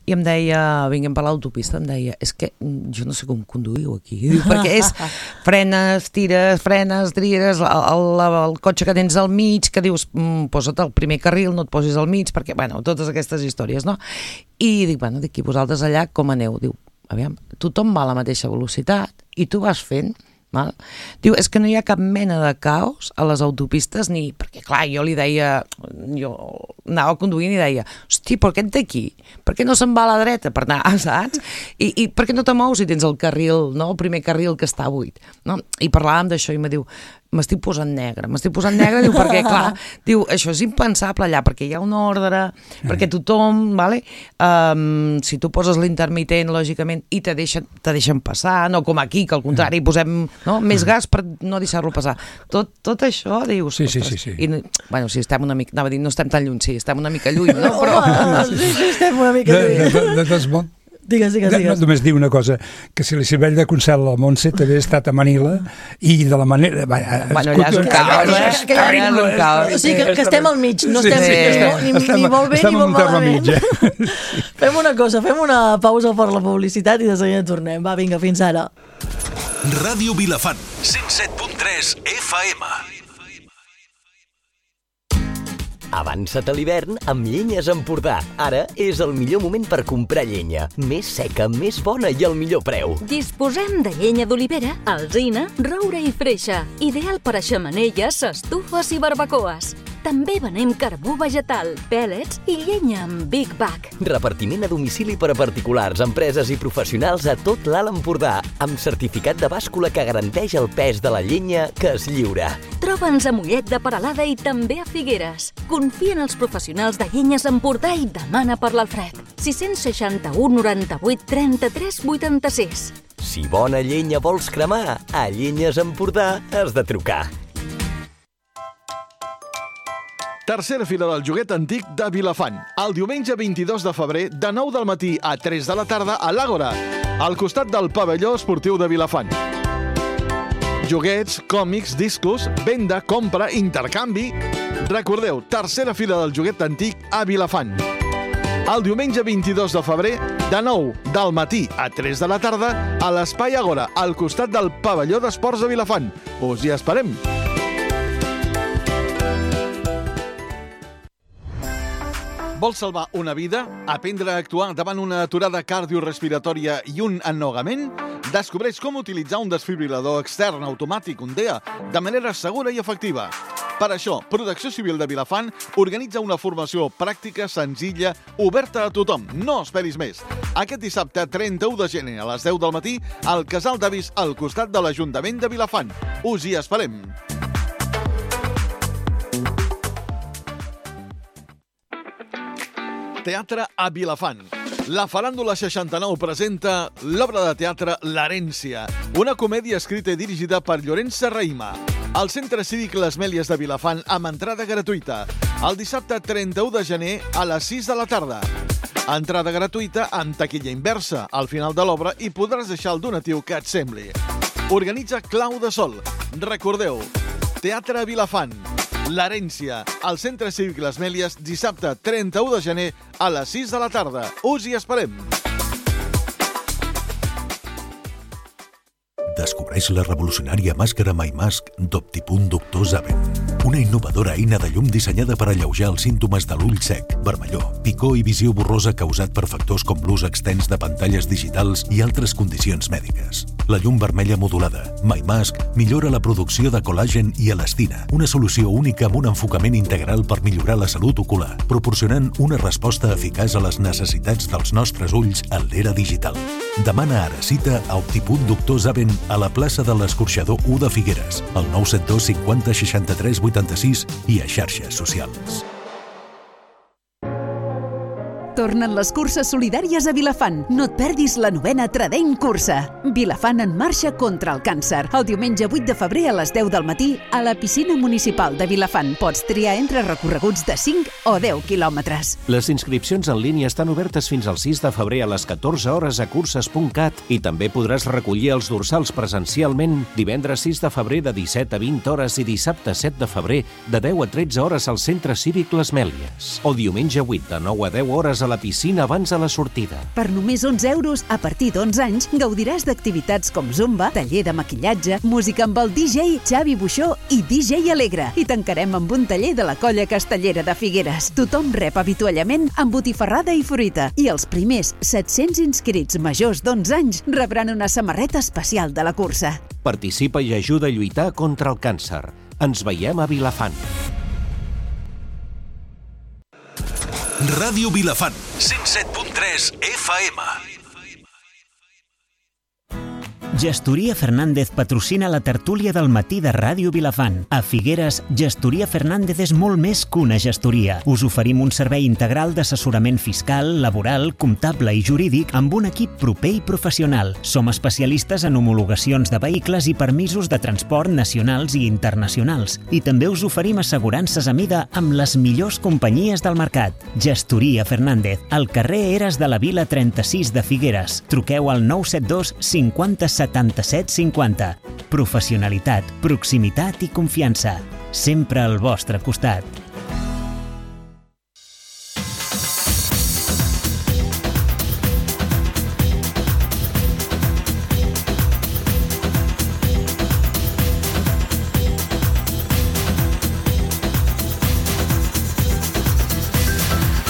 i em deia, vinguem per l'autopista, em deia, és que jo no sé com conduïu aquí, diu, perquè és frenes, tires, frenes, tires, el, el, el cotxe que tens al mig, que dius, mm, posa't al primer carril, no et posis al mig, perquè, bueno, totes aquestes històries, no? I dic, bueno, dic, i vosaltres allà com aneu? Diu, aviam, tothom va a la mateixa velocitat i tu vas fent, val? Diu, és que no hi ha cap mena de caos a les autopistes, ni... Perquè, clar, jo li deia... Jo anava conduint i deia, hosti, però aquest d'aquí, per què no se'n va a la dreta per anar, saps? I, i per què no te mous si tens el carril, no?, el primer carril que està buit, no? I parlàvem d'això i me diu, m'estic posant negre, m'estic posant negre, diu, perquè, clar, diu, això és impensable allà, perquè hi ha un ordre, perquè tothom, vale? Um, si tu poses l'intermitent, lògicament, i te deixen, te deixen passar, no com aquí, que al contrari, posem no, més gas per no deixar-lo passar. Tot, tot això, dius, sí, sí, ostres, sí, sí. I, bueno, si estem una mica, anava a dir, no estem tan lluny, sí, estem una mica lluny, no? Però... Home, sí, sí, estem una mica De, de, lluny. de, de, de, Digues, digues, No, digues. només dir una cosa, que si li serveix de consell a la Montse també ha estat a Manila i de la manera... Bueno, allà és un caos, eh? És terrible, Allà és un caos. O sigui que, que estem al mig, no Sí, estem, sí, no, estem- ni, estem- ni molt bé estem ni en molt un terme malament. mig, eh? Fem una cosa, fem una pausa per la publicitat i de seguida tornem. Va, vinga, fins ara. Ràdio Vilafant, cent set punt tres F M. Avança't a l'hivern amb Llenyes Empordà. Ara és el millor moment per comprar llenya. Més seca, més bona i al millor preu. Disposem de llenya d'olivera, alzina, roure i freixa. Ideal per a xemeneies, estufes i barbacoes. També venem carbó vegetal, pèl·lets i llenya amb Big Bag. Repartiment a domicili per a particulars, empreses i professionals a tot l'Alt Empordà, amb certificat de bàscula que garanteix el pes de la llenya que es lliura. Troba'ns a Mollet de Peralada i també a Figueres. Confia en els professionals de Llenyes Empordà i demana per l'Alfred. sis seixanta-u noranta-vuit trenta-tres vuitanta-sis. Si bona llenya vols cremar, a Llenyes Empordà has de trucar. Tercera fira del joguet antic de Vilafant. El diumenge vint-i-dos de febrer, de nou del matí a tres de la tarda, a l'Àgora, al costat del pavelló esportiu de Vilafant. Joguets, còmics, discos, venda, compra, intercanvi... Recordeu, tercera fira del joguet antic a Vilafant. El diumenge vint-i-dos de febrer, de nou del matí a tres de la tarda, a l'Espai Àgora, al costat del pavelló d'esports de Vilafant. Us hi esperem! Vols salvar una vida? Aprendre a actuar davant una aturada cardiorrespiratòria i un ennogament? Descobreix com utilitzar un desfibrilador extern automàtic, un D E A, de manera segura i efectiva. Per això, Protecció Civil de Vilafant organitza una formació pràctica, senzilla, oberta a tothom. No esperis més. Aquest dissabte, trenta-u de gener, a les deu del matí, al Casal d'Avis, al costat de l'Ajuntament de Vilafant. Us hi esperem. Teatre a Vilafant. La Faràndula seixanta-nou presenta l'obra de teatre L'Herència, una comèdia escrita i dirigida per Llorenç Serrahima. Al Centre Cívic Les Mèlies de Vilafant, amb entrada gratuïta. El dissabte trenta-u de gener a les sis de la tarda. Entrada gratuïta amb taquilla inversa. Al final de l'obra hi podràs deixar el donatiu que et sembli. Organitza Clau de Sol. Recordeu, Teatre a Vilafant. L'Herència, al Centre Cívic Les Mèlies, dissabte trenta-u de gener a les sis de la tarda. Us hi esperem. Descobreix la revolucionària màscara MyMask d'Optipunt Doctor Zaven. Una innovadora eina de llum dissenyada per alleujar els símptomes de l'ull sec, vermellor, picor i visió borrosa causat per factors com l'ús extens de pantalles digitals i altres condicions mèdiques. La llum vermella modulada, MyMask, millora la producció de col·làgen i elastina, una solució única amb un enfocament integral per millorar la salut ocular, proporcionant una resposta eficaç a les necessitats dels nostres ulls en l'era digital. Demana ara cita a Optipunt Doctor Zaven a la plaça de l'Escorxador u de Figueres, al nou set dos cinquanta seixanta-tres vuitanta-sis i a xarxes socials. Tornen les curses solidàries a Vilafant. No et perdis la novena Tradent Cursa. Vilafant en marxa contra el càncer. El diumenge vuit de febrer a les deu del matí a la piscina municipal de Vilafant. Pots triar entre recorreguts de cinc o deu quilòmetres. Les inscripcions en línia estan obertes fins al sis de febrer a les catorze hores a curses punt cat i també podràs recollir els dorsals presencialment divendres sis de febrer de disset a vint hores i dissabte set de febrer de deu a tretze hores al Centre Cívic Les Mèlies. O diumenge vuit de nou a deu hores a la piscina abans de la sortida. Per només onze euros, a partir d'onze anys, gaudiràs d'activitats com zumba, taller de maquillatge, música amb el D J Xavi Buixó i D J Alegre. I tancarem amb un taller de la Colla Castellera de Figueres. Tothom rep avituallament amb botifarrada i fruita. I els primers set-cents inscrits majors d'onze anys rebran una samarreta especial de la cursa. Participa i ajuda a lluitar contra el càncer. Ens veiem a Vilafant. Ràdio Vilafant, cent set punt tres F M. Gestoria Fernández patrocina la tertúlia del matí de Ràdio Vilafant. A Figueres, Gestoria Fernández és molt més que una gestoria. Us oferim un servei integral d'assessorament fiscal, laboral, comptable i jurídic amb un equip proper i professional. Som especialistes en homologacions de vehicles i permisos de transport nacionals i internacionals. I també us oferim assegurances a mida amb les millors companyies del mercat. Gestoria Fernández, al carrer Eres de la Vila trenta-sis de Figueres. Truqueu al nou set dos cinquanta setanta-set cinquanta. Professionalitat, proximitat i confiança. Sempre al vostre costat.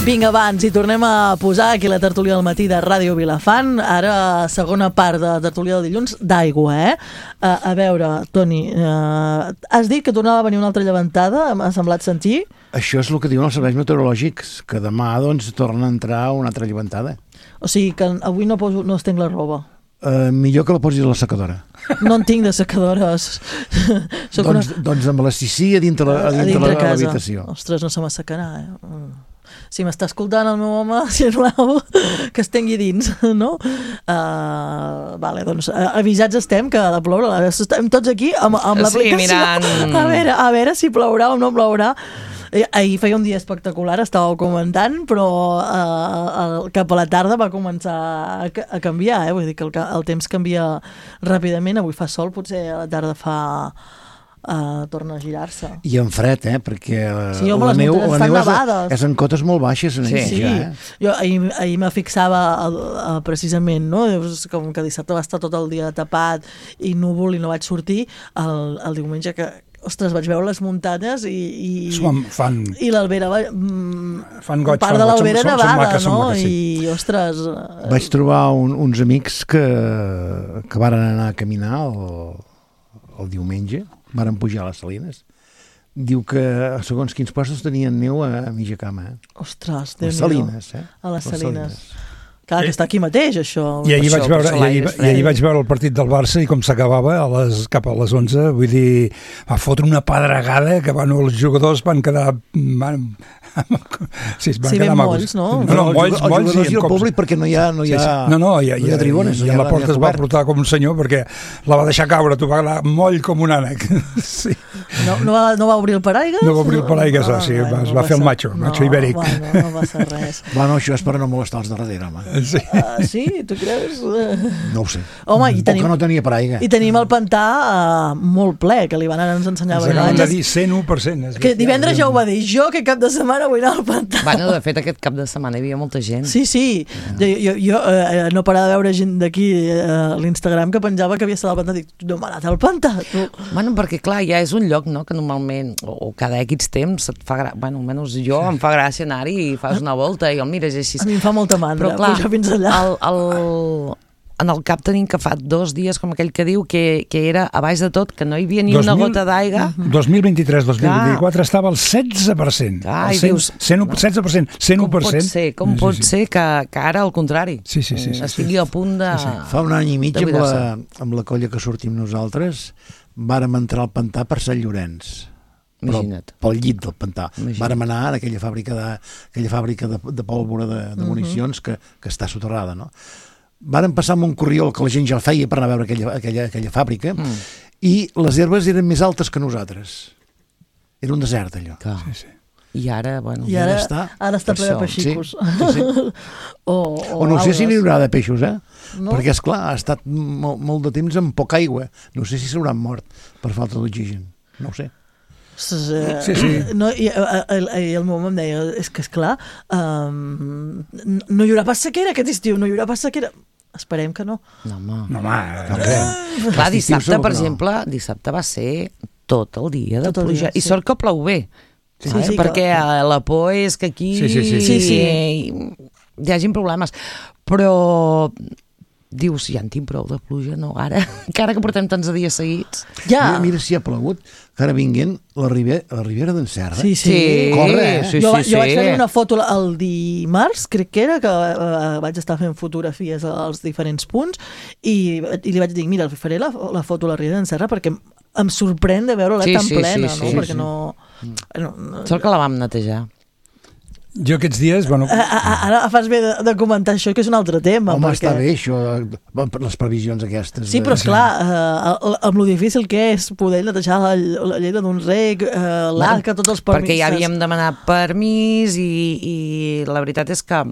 Vinga, abans, i tornem a posar aquí la tertúlia del matí de Ràdio Vilafant. Ara, segona part de tertúlia del dilluns, d'aigua, eh? A, a veure, Toni, eh, has dit que tornava a venir una altra llevantada, m'ha semblat sentir. Això és el que diuen els serveis meteorològics, que demà doncs torna a entrar una altra llevantada. O sigui que avui no, poso, no estenc la roba. Uh, millor que la posis a la secadora. No en tinc de secadores. doncs, una... doncs amb la Sissi a dintre, a dintre, a dintre la, l'habitació. Ostres, no se m'assecarà, eh? Si m'està escoltant el meu home, sisplau, que es tengui dins, no? Uh, vale, doncs uh, avisats estem que ha de ploure. Estem tots aquí amb, amb l'aplicació. Sí, mirant... A veure, a veure si plourà o no plourà. Ahir feia un dia espectacular, estàveu comentant, però eh, el, cap a la tarda va començar a, a canviar, eh? Vull dir que el, el temps canvia ràpidament, avui fa sol, potser a la tarda fa... Uh, torna a girar-se. I en fred, eh? Perquè sí, home, la neu, la neu és, és en cotes molt baixes. En sí, sí. ja, eh? Jo ahir, ahir me fixava el, el, precisament, no? Com que dissabte va estar tot el dia tapat i núvol i no vaig sortir, el, el diumenge que ostres, vaig veure les muntanyes i, i, fan, i l'Albera mm, fan goig, part fan de l'Albera goig, nevada, maques, no? Maques, sí. I, ostres... Vaig trobar un, uns amics que, que varen anar a caminar el, el diumenge, varen pujar a les Salines. Diu que segons quins postos tenien neu a, a mitja cama. Eh? Ostres, Déu-n'hi-do. A les Salines, eh? A les Salines. Clar, que està aquí mateix, això. I ahir, això, vaig veure, i ahir, i ahir vaig veure el partit del Barça i com s'acabava a les, cap a les onze, vull dir, va fotre una pedregada que bueno, els jugadors van quedar... Van, sí, van sí, quedar ben molls, no? No, no, molls, els molls jugadors i el públic perquè no hi ha, no hi ha, sí, sí. No, no, i, no hi ha tribunes. I, i, i a la porta es va portar com un senyor perquè la va deixar caure, tu va anar moll com un ànec. Sí. No, no, va, no va obrir el paraigues? No va obrir el paraigues, no, sí, no, es va no fer el macho, no, macho ibèric. Bueno, no va ser res. Bueno, això és per no molestar els de darrere, home. Sí. Uh, sí, tu creus? No ho sé. Home, i tenim, o que no tenia paraigua. I tenim el pantà uh, molt ple, que l'Ivan ara ens ensenyava. Ens acaben de dir cent u per cent. Que divendres ja ho va dir, jo que cap de setmana vull anar al pantà. Bueno, de fet, aquest cap de setmana hi havia molta gent. Sí, sí. Jo, jo, jo eh, no parava de veure gent d'aquí eh, a l'Instagram que penjava que havia estat al pantà. Dic, no m'ha anat al pantà. Tu. Bueno, perquè clar, ja és un lloc, no?, que normalment, o, o cada X temps, et fa gra... bueno, almenys jo, em fa gràcia anar-hi i fas una volta i el mires així. A mi em fa molta mandra, però clar, pujar fins allà. El, el... en el cap tenim que fa dos dies, com aquell que diu, que, que era a baix de tot, que no hi havia ni dos mil, una gota d'aigua. dos mil vint-i-tres dos mil vint-i-quatre estava al setze per cent. Ah, el cent, dius, cent, setze per cent, cent u per cent. Com pot ser, com sí, pot sí. ser que, que ara al contrari sí, sí, sí, sí, estigui sí. a punt de... Sí, sí. Fa un any i mig amb la, amb la colla que sortim nosaltres vàrem entrar al pantà per Sant Llorenç. Imagina't. Pel llit del pantà. Imagina't. Vàrem anar a aquella fàbrica de, aquella fàbrica de, de pólvora de, de municions uh -huh. que, que està soterrada, no? Vàrem passar amb un corriol que la gent ja el feia per anar a veure aquella, aquella, aquella fàbrica mm. i les herbes eren més altes que nosaltres. Era un desert, allò. Sí, sí. I ara, bueno... I ara, ara està, ara està ple de peixicos. Sí, sí, sí. o, o, o no sé si n'hi haurà de peixos, eh? No? Perquè, esclar, ha estat molt, molt de temps amb poca aigua. No sé si s'hauran mort per falta d'oxigen. No ho sé. Sí, sí. No, i, el, el, el meu home em deia, és que esclar, um, no hi haurà pas sequera aquest estiu, no hi haurà pas sequera. Esperem que no. No, home. No, home. No, no. Clar, dissabte, per exemple, dissabte va ser tot el dia de pluja. I sort que plou bé. Sí, sí, perquè la por és que aquí sí, sí, sí. Sí, sí. hi hagin problemes. Però... dius, ja en tinc prou de pluja, no? Ara, que ara que portem tants dies seguits. Ja. Mira, mira si ha plogut, que ara vinguent la Ribera, la Ribera d'en Serra. Sí, sí. Corre, eh? Sí, jo, sí, jo sí. vaig fer una foto el dimarts, crec que era, que uh, vaig estar fent fotografies als diferents punts i, i li vaig dir, mira, faré la, la foto a la Ribera d'en Serra perquè em sorprèn de veure-la sí, tan sí, plena, sí, no? sí, perquè sí. no... no, no Sort que la vam netejar. Jo aquests dies, bueno... Ara fas bé de, de comentar això, que és un altre tema. Home, perquè... està bé, això, les previsions aquestes. Sí, però esclar, eh, amb lo difícil que és poder netejar la, la lletra d'un rec, eh, l'arca, tots els permisos... Perquè ja havíem demanat permís i, i la veritat és que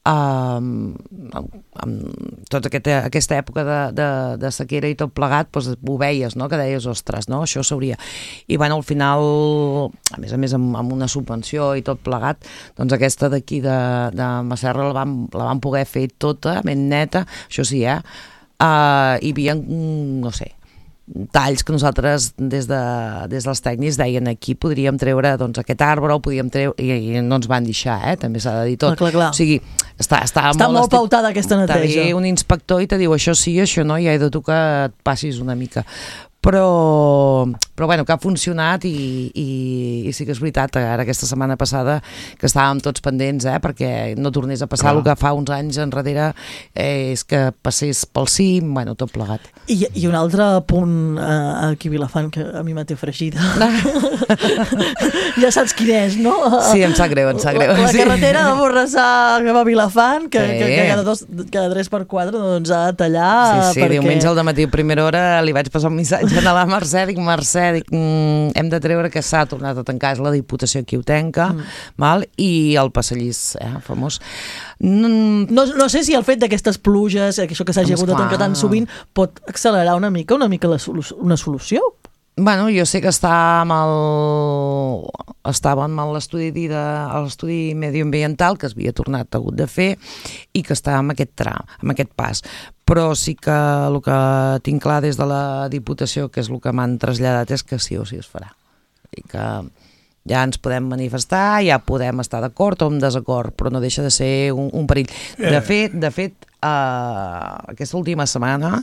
Um, amb, amb tota aquesta, aquesta època de, de, de sequera i tot plegat, doncs ho veies, no? Que deies, ostres, no? Això s'hauria... I bueno, al final, a més a més amb, amb una subvenció i tot plegat, doncs aquesta d'aquí de, de Masserra la vam, la vam poder fer tota, ben neta, això sí, eh? Uh, hi havia, no sé, talls que nosaltres des, de, des dels tècnics deien aquí podríem treure doncs, aquest arbre o podíem treure i, i no ens van deixar, eh? També s'ha de dir tot. Clar, clar, clar. O sigui, està, està, està molt, molt estic... pautada aquesta neteja. T'ha un inspector i te diu això sí, això no, i ja he de tu que et passis una mica. Però, però bueno, que ha funcionat i, i, i sí que és veritat, ara aquesta setmana passada que estàvem tots pendents, eh, perquè no tornés a passar el que fa uns anys enrere, eh, és que passés pel cim, bueno, tot plegat. I, i un altre punt eh, aquí a Vilafant que a mi m'ha té fregida. Ja saps quin és, no? Sí, em sap greu, em sap greu. La, la sí. carretera de Borrassà que va a Vilafant, que, sí. que, que cada, dos, cada tres per quatre doncs, ha de tallar. Sí, sí, perquè... diumenge al dematí a primera hora li vaig passar un missatge a la Mercè, dic, Mercè, dic, mm, hem de treure que s'ha tornat a tancar, és la Diputació qui ho tanca, mm. val? I el passadís, eh, famós. No, no sé si el fet d'aquestes pluges, això que s'hagi hagut de tancar tan sovint, pot accelerar una mica, una mica la solu una solució? Bueno, jo sé que està amb el... estava amb l'estudi de... l'estudi medioambiental que es havia tornat hagut de fer i que està amb aquest tram, amb aquest pas. Però sí que el que tinc clar des de la Diputació, que és el que m'han traslladat, és que sí o sí es farà. I que ja ens podem manifestar, ja podem estar d'acord o en desacord, però no deixa de ser un, un perill. De fet, de fet eh, aquesta última setmana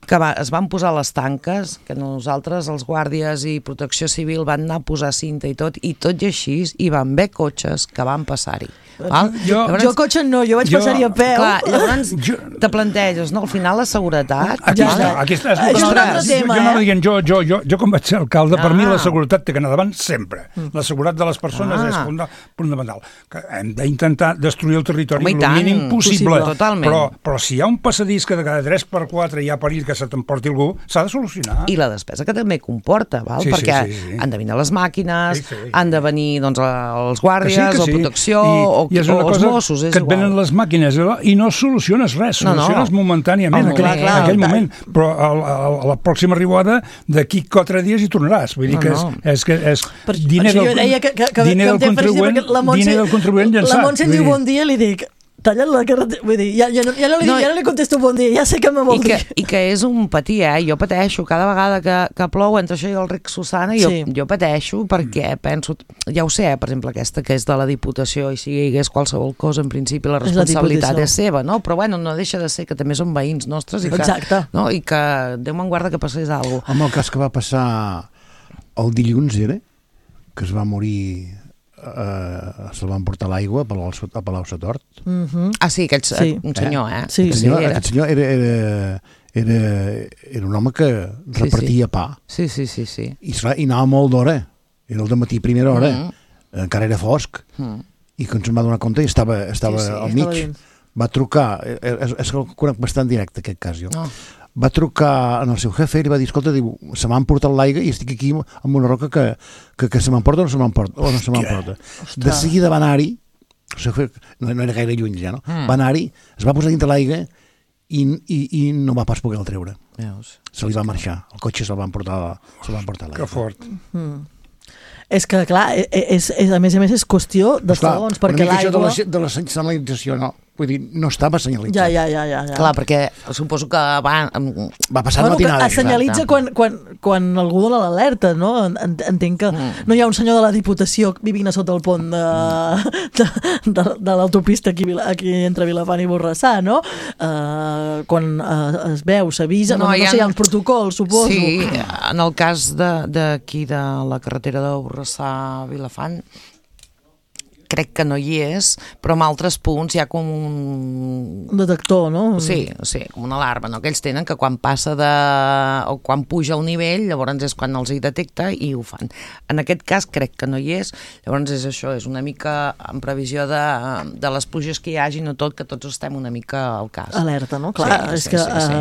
que va, es van posar les tanques, que nosaltres, els guàrdies i protecció civil, van anar a posar cinta i tot, i tot i així hi van haver cotxes que van passar-hi. Val? Jo, llavors, jo cotxe no, jo vaig passar-hi a peu. Clar, llavors jo, te planteges, no? Al final la seguretat... Aquí ja, està, aquí està. Això és un altre tema, jo, jo, no eh? dient, jo, jo, jo, jo com vaig ser alcalde, ah. per mi la seguretat té que anar davant sempre. Mm. La seguretat de les persones ah. és fundamental. Que hem d'intentar destruir el territori el mínim possible. possible. Però, però si hi ha un passadís que de cada tres per quatre hi ha perill que se t'emporti algú, s'ha de solucionar. I la despesa que també comporta, val? Sí, perquè sí, sí, sí. han de venir les màquines, sí, sí. han de venir doncs, els guàrdies, sí, sí. o protecció, I, o, i o els Mossos. És que et igual. venen les màquines i no soluciones res, soluciones no, no. momentàniament, oh, aquell, clar, clar, aquell moment, però a, a, a la pròxima arribada d'aquí quatre dies hi tornaràs. Vull dir no, que és, no. és, que és per, diner del, que, que, que, diner del contribuent, diner del contribuent llançat. La Montse diu bon dia i li dic tallen la carretera, vull dir, ja, ja, no, ja, no li, no, ja no li contesto bon dia, ja sé que me vol dir. I que és un patir, eh? Jo pateixo cada vegada que, que plou entre això i el Ric Susana, jo, sí. jo pateixo perquè penso, ja ho sé, eh, per exemple aquesta que és de la Diputació i si hi hagués qualsevol cosa, en principi la responsabilitat és, és seva, no? Però bueno, no deixa de ser que també són veïns nostres i que, no? I que Déu me'n guarda que passés alguna cosa. Amb el cas que va passar el dilluns, era? Que es va morir... Uh, se'l van portar l'aigua a Palau-Satort. Uh -huh. Ah, sí, aquest sí. un senyor, eh? Sí, aquest, sí, senyor, era. aquest senyor era, era, era, era un home que repartia sí, sí. pa. Sí, sí, sí, sí. I, i anava molt d'hora. Era el dematí, primera hora. Uh -huh. Encara era fosc. Uh -huh. I quan se'n va donar compte estava, estava sí, sí, al mig. Estava va trucar, és, és que el conec bastant directe aquest cas jo. Oh. Va trucar en el seu jefe i li va dir, escolta, diu, se m'ha emportat l'aigua i estic aquí amb una roca que, que, que se m'emporta o no se m'emporta. O no se m'emporta. De seguida va anar-hi, o sigui, no, no era gaire lluny ja, no? Mm. Va anar-hi, es va posar dintre l'aigua i, i, i no va pas poder el treure. Veus? Se li va marxar, el cotxe se'l van portar, se van portar l'aigua. Que fort. Mm. És que, clar, és, és, a més a més és qüestió de segons, perquè l'aigua... De, la, de la senyalització, no. Vull dir, no estava senyalitzat. Ja, ja, ja, ja, ja. Clar, perquè suposo que va... Va passar bueno, matinada. Es senyalitza quan, quan, quan algú dona l'alerta, no? Entenc que mm. no hi ha un senyor de la Diputació vivint a sota el pont de, de, de, de l'autopista aquí, aquí entre Vilafant i Borrassà, no? Uh, quan uh, es veu, s'avisa, no, no, no ha... sé, hi ha uns protocols, suposo. Sí, en el cas d'aquí, de, de la carretera de Borrassà a Vilafant, crec que no hi és, però en altres punts hi ha com un... Un detector, no? Sí, sí, com una alarma, no? Que ells tenen que quan passa de... o quan puja el nivell, llavors és quan els hi detecta i ho fan. En aquest cas crec que no hi és, llavors és això, és una mica en previsió de, de les pluges que hi hagi, no tot, que tots estem una mica al cas. Alerta, no? Clar, sí, és sí, que... Sí, sí.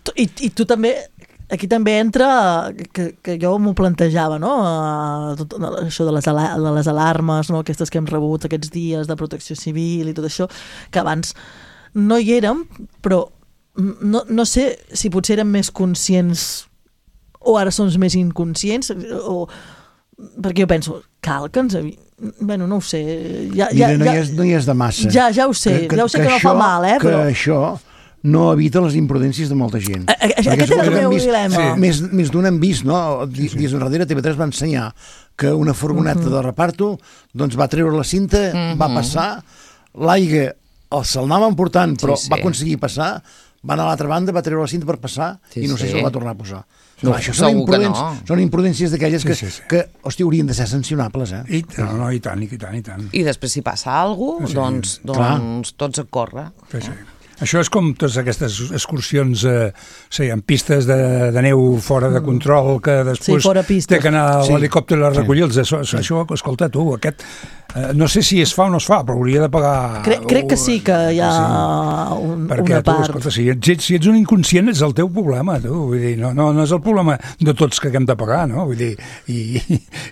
Uh, i, I tu també... Aquí també entra, que, que jo m'ho plantejava, no? Uh, tot, això de les, de les alarmes, no? Aquestes que hem rebut aquests dies de protecció civil i tot això, que abans no hi érem, però no, no sé si potser érem més conscients o ara som més inconscients, o, perquè jo penso, cal que ens... Bueno, no ho sé. Ja, Mira, ja, no, ja, hi és, no hi és de massa. Ja, ja ho sé, que, que, ja ho sé que, que no això, fa mal, eh? Però... Que això... no evita les imprudències de molta gent. A, a, aquest és el meu dilema. Sí. Més, més d'un hem vist, no? Dies sí, sí. enrere T V tres va ensenyar que una furgoneta uh -huh. de reparto doncs va treure la cinta, uh -huh. va passar, l'aigua se'l anava emportant, però sí, sí. va aconseguir passar, va anar a l'altra banda, va treure la cinta per passar sí, i no sé sí. si el va tornar a posar. No, això són, imprudents, no. són imprudències d'aquelles que, sí, sí, sí. que, hòstia, haurien de ser sancionables, eh? I, no, no, i tant, i tant, i tant. I després, si passa alguna cosa, sí. doncs, doncs tots a córrer. Sí, sí. Això és com totes aquestes excursions, eh, sí, en pistes de, de neu fora de control, que després sí, té que anar a l'helicòpter a recollir-los. Sí. Això, això, escolta, tu, aquest... Eh, no sé si es fa o no es fa, però hauria de pagar... Crec, crec que sí, que hi ha sí. un, Perquè, una part. Tu, escolta, si ets, si ets un inconscient és el teu problema, tu. Vull dir, no, no, no és el problema de tots que hem de pagar, no? Vull dir, i,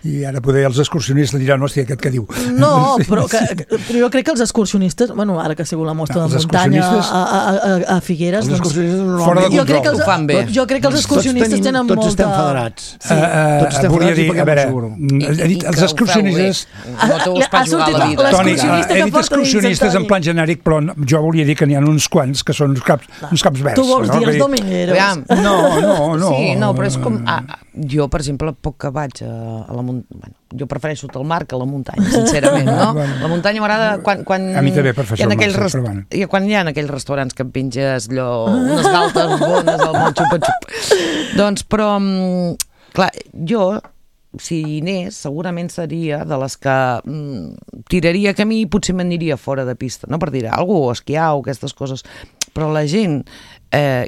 i ara poder els excursionistes diran, hòstia, aquest què diu? No, però, que, però jo crec que els excursionistes, bueno, ara que ha sigut la mostra no, de muntanya a, a, a, a Figueres, els doncs... Fora de control. Jo crec que els, ho fan bé. Jo crec que els excursionistes tots tenim, tenen tots molta... Tots estem federats. Sí. Uh, tots estem volia federats dir, i paguem el seguro. He dit, els excursionistes... No t'ho vas pas jugar a la vida. Toni, he dit excursionistes en plan genèric, però jo volia dir que n'hi ha uns quants que són uns caps, uns caps verds. Tu vols dir els domingueros? No, no, no. Sí, no, però és com... Ah, jo, per exemple, poc que vaig a, a la muntanya... Bueno, jo prefereixo el mar que la muntanya, sincerament, no? La muntanya m'agrada quan, quan... A mi també prefereixo el mar, rest... però bueno. I quan hi ha aquells restaurants que em pinges allò, unes galtes bones al món xupa-xup. Doncs, però, clar, jo... si hi anés, segurament seria de les que mm, tiraria camí i potser m'aniria fora de pista, no per dir algú, esquiar o aquestes coses, però la gent eh,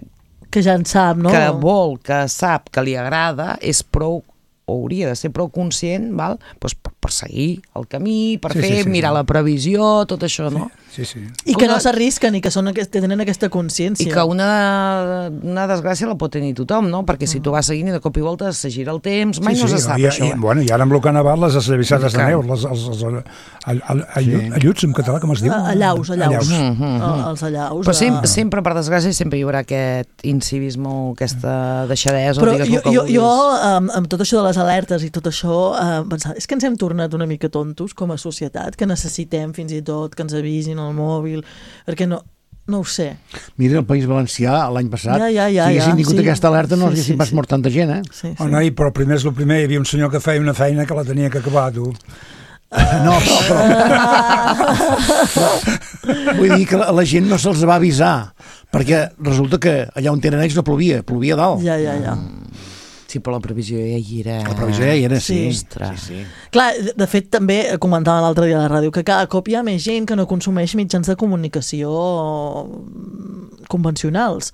que ja en sap, no? que vol, que sap, que li agrada, és prou, o hauria de ser prou conscient, val? Pues per, per seguir el camí, per sí, fer, sí, sí, mirar sí. la previsió, tot això, no? Sí, sí. I que una... no s'arrisquen i que, són, que tenen aquesta consciència. I que una, una desgràcia la pot tenir tothom, no? Perquè si tu vas seguint i de cop i volta se gira el temps, mai sí, no sí, se sap i, això. I, bueno, I ara amb el que ha nevat, les esllavissades de neu, les, els, els, els, els alluts, en català, com es diu? Allaus, allaus. allaus. Mm -hmm. Els allaus. Però sempre, sempre, per desgràcia, sempre hi haurà aquest incivisme, aquesta deixadesa. Però jo, jo, jo amb, amb tot això de les alertes i tot això, eh, pensava, és que ens hem tornat una mica tontos com a societat, que necessitem fins i tot que ens avisin el mòbil, perquè no... No ho sé. Mira, el País Valencià, l'any passat, ja, ja, ja, si haguessin ja, tingut sí. aquesta alerta, no sí, haguessin sí, pas sí. mort tanta gent, eh? Sí, sí. Oh, no, i, però primer és el primer, hi havia un senyor que feia una feina que la tenia que acabar, tu. Uh, no, però... però, però vull dir que la, la gent no se'ls va avisar, perquè resulta que allà on tenen ells no plovia, plovia dalt. Ja, ja, ja. Sí, però la previsió ja hi era. La previsió ja hi era, sí. sí. sí, sí. Clar, de fet, també comentava l'altre dia a la ràdio que cada cop hi ha més gent que no consumeix mitjans de comunicació convencionals.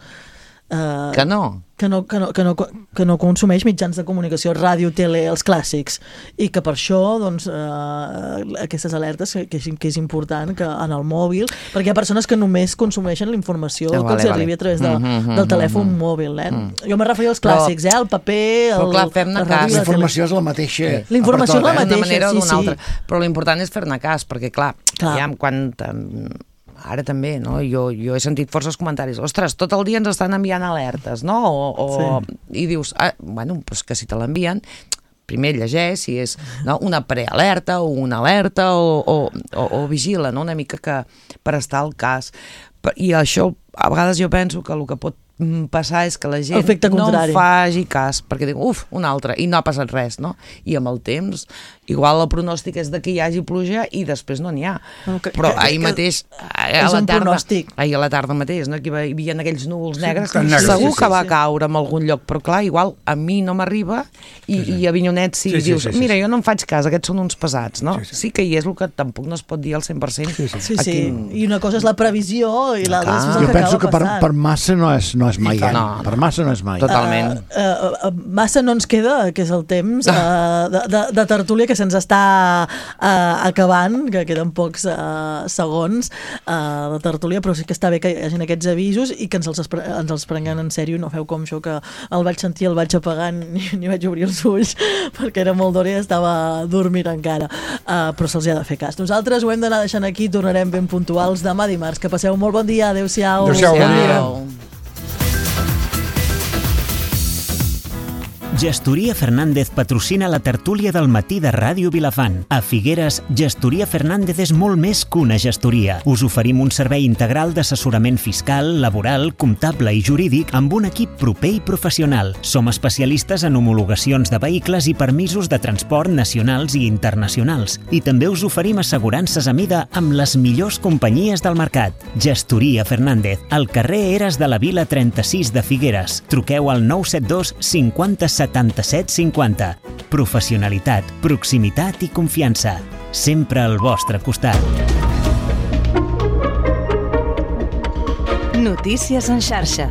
Uh, que no? Que no, que, no, que, no, que no consumeix mitjans de comunicació, ràdio, tele, els clàssics, i que per això doncs, uh, aquestes alertes que, que, és, que és important que en el mòbil, perquè hi ha persones que només consumeixen la informació ah, que vale, els arribi vale. a través de, mm -hmm, del telèfon mm -hmm. mòbil, eh? Mm. Jo me referia als clàssics, però, eh? El paper, el, però clar, fem-ne la cas. ràdio, La informació és la mateixa. Sí. La informació és la mateixa, d'una manera o sí, d'una sí. altra. Però l'important és fer-ne cas, perquè clar, clar. ja quan... Ara també, no? Jo, jo he sentit forces comentaris. Ostres, tot el dia ens estan enviant alertes, no? O, o, sí. I dius, ah, bueno, doncs que si te l'envien, primer llegeix si és no, una prealerta o una alerta o, o, o, o vigila, no? Una mica que per estar al cas. I això, a vegades jo penso que el que pot passar és que la gent no en faci cas, perquè diu, uf, un altre, i no ha passat res, no? I amb el temps, igual el pronòstic és de que hi hagi pluja i després no n'hi ha. No, que, Però que, ahir que, mateix, a la tarda, ahir a la tarda mateix, no? Que hi havia aquells núvols negres, sí, negres segur sí, sí, que va sí. caure en algun lloc, però clar, igual a mi no m'arriba i, sí, sí. i a Vinyonet sí, sí, sí dius, sí, sí, mira, jo no em faig cas, aquests són uns pesats, no? Sí, sí. sí que hi és el que tampoc no es pot dir al cent per cent. Sí, sí, sí, sí. Quin... i una cosa és la previsió i l'altra és el jo que penso que per, passant. per massa no és, no és mai, eh? No, per massa no és mai. Totalment. Uh, uh, uh, massa no ens queda, que és el temps uh, de, de, de tertúlia que se'ns està uh, acabant, que queden pocs uh, segons uh, de tertúlia, però sí que està bé que hi hagi aquests avisos i que ens els, ens els prenguem en sèrio, no feu com això que el vaig sentir, el vaig apagar, ni, ni vaig obrir els ulls, perquè era molt d'hora i estava dormint encara. Uh, però se'ls ha de fer cas. Nosaltres ho hem d'anar deixant aquí, tornarem ben puntuals demà dimarts. Que passeu molt bon dia, adeu-siau. Adeu-siau, bon dia. Gestoria Fernández patrocina la tertúlia del matí de Ràdio Vilafant. A Figueres, Gestoria Fernández és molt més que una gestoria. Us oferim un servei integral d'assessorament fiscal, laboral, comptable i jurídic amb un equip proper i professional. Som especialistes en homologacions de vehicles i permisos de transport nacionals i internacionals. I també us oferim assegurances a mida amb les millors companyies del mercat. Gestoria Fernández, al carrer Eres de la Vila trenta-sis de Figueres. Truqueu al nou set dos cinquanta setanta-set cinquanta. Professionalitat, proximitat i confiança. Sempre al vostre costat. Notícies en xarxa.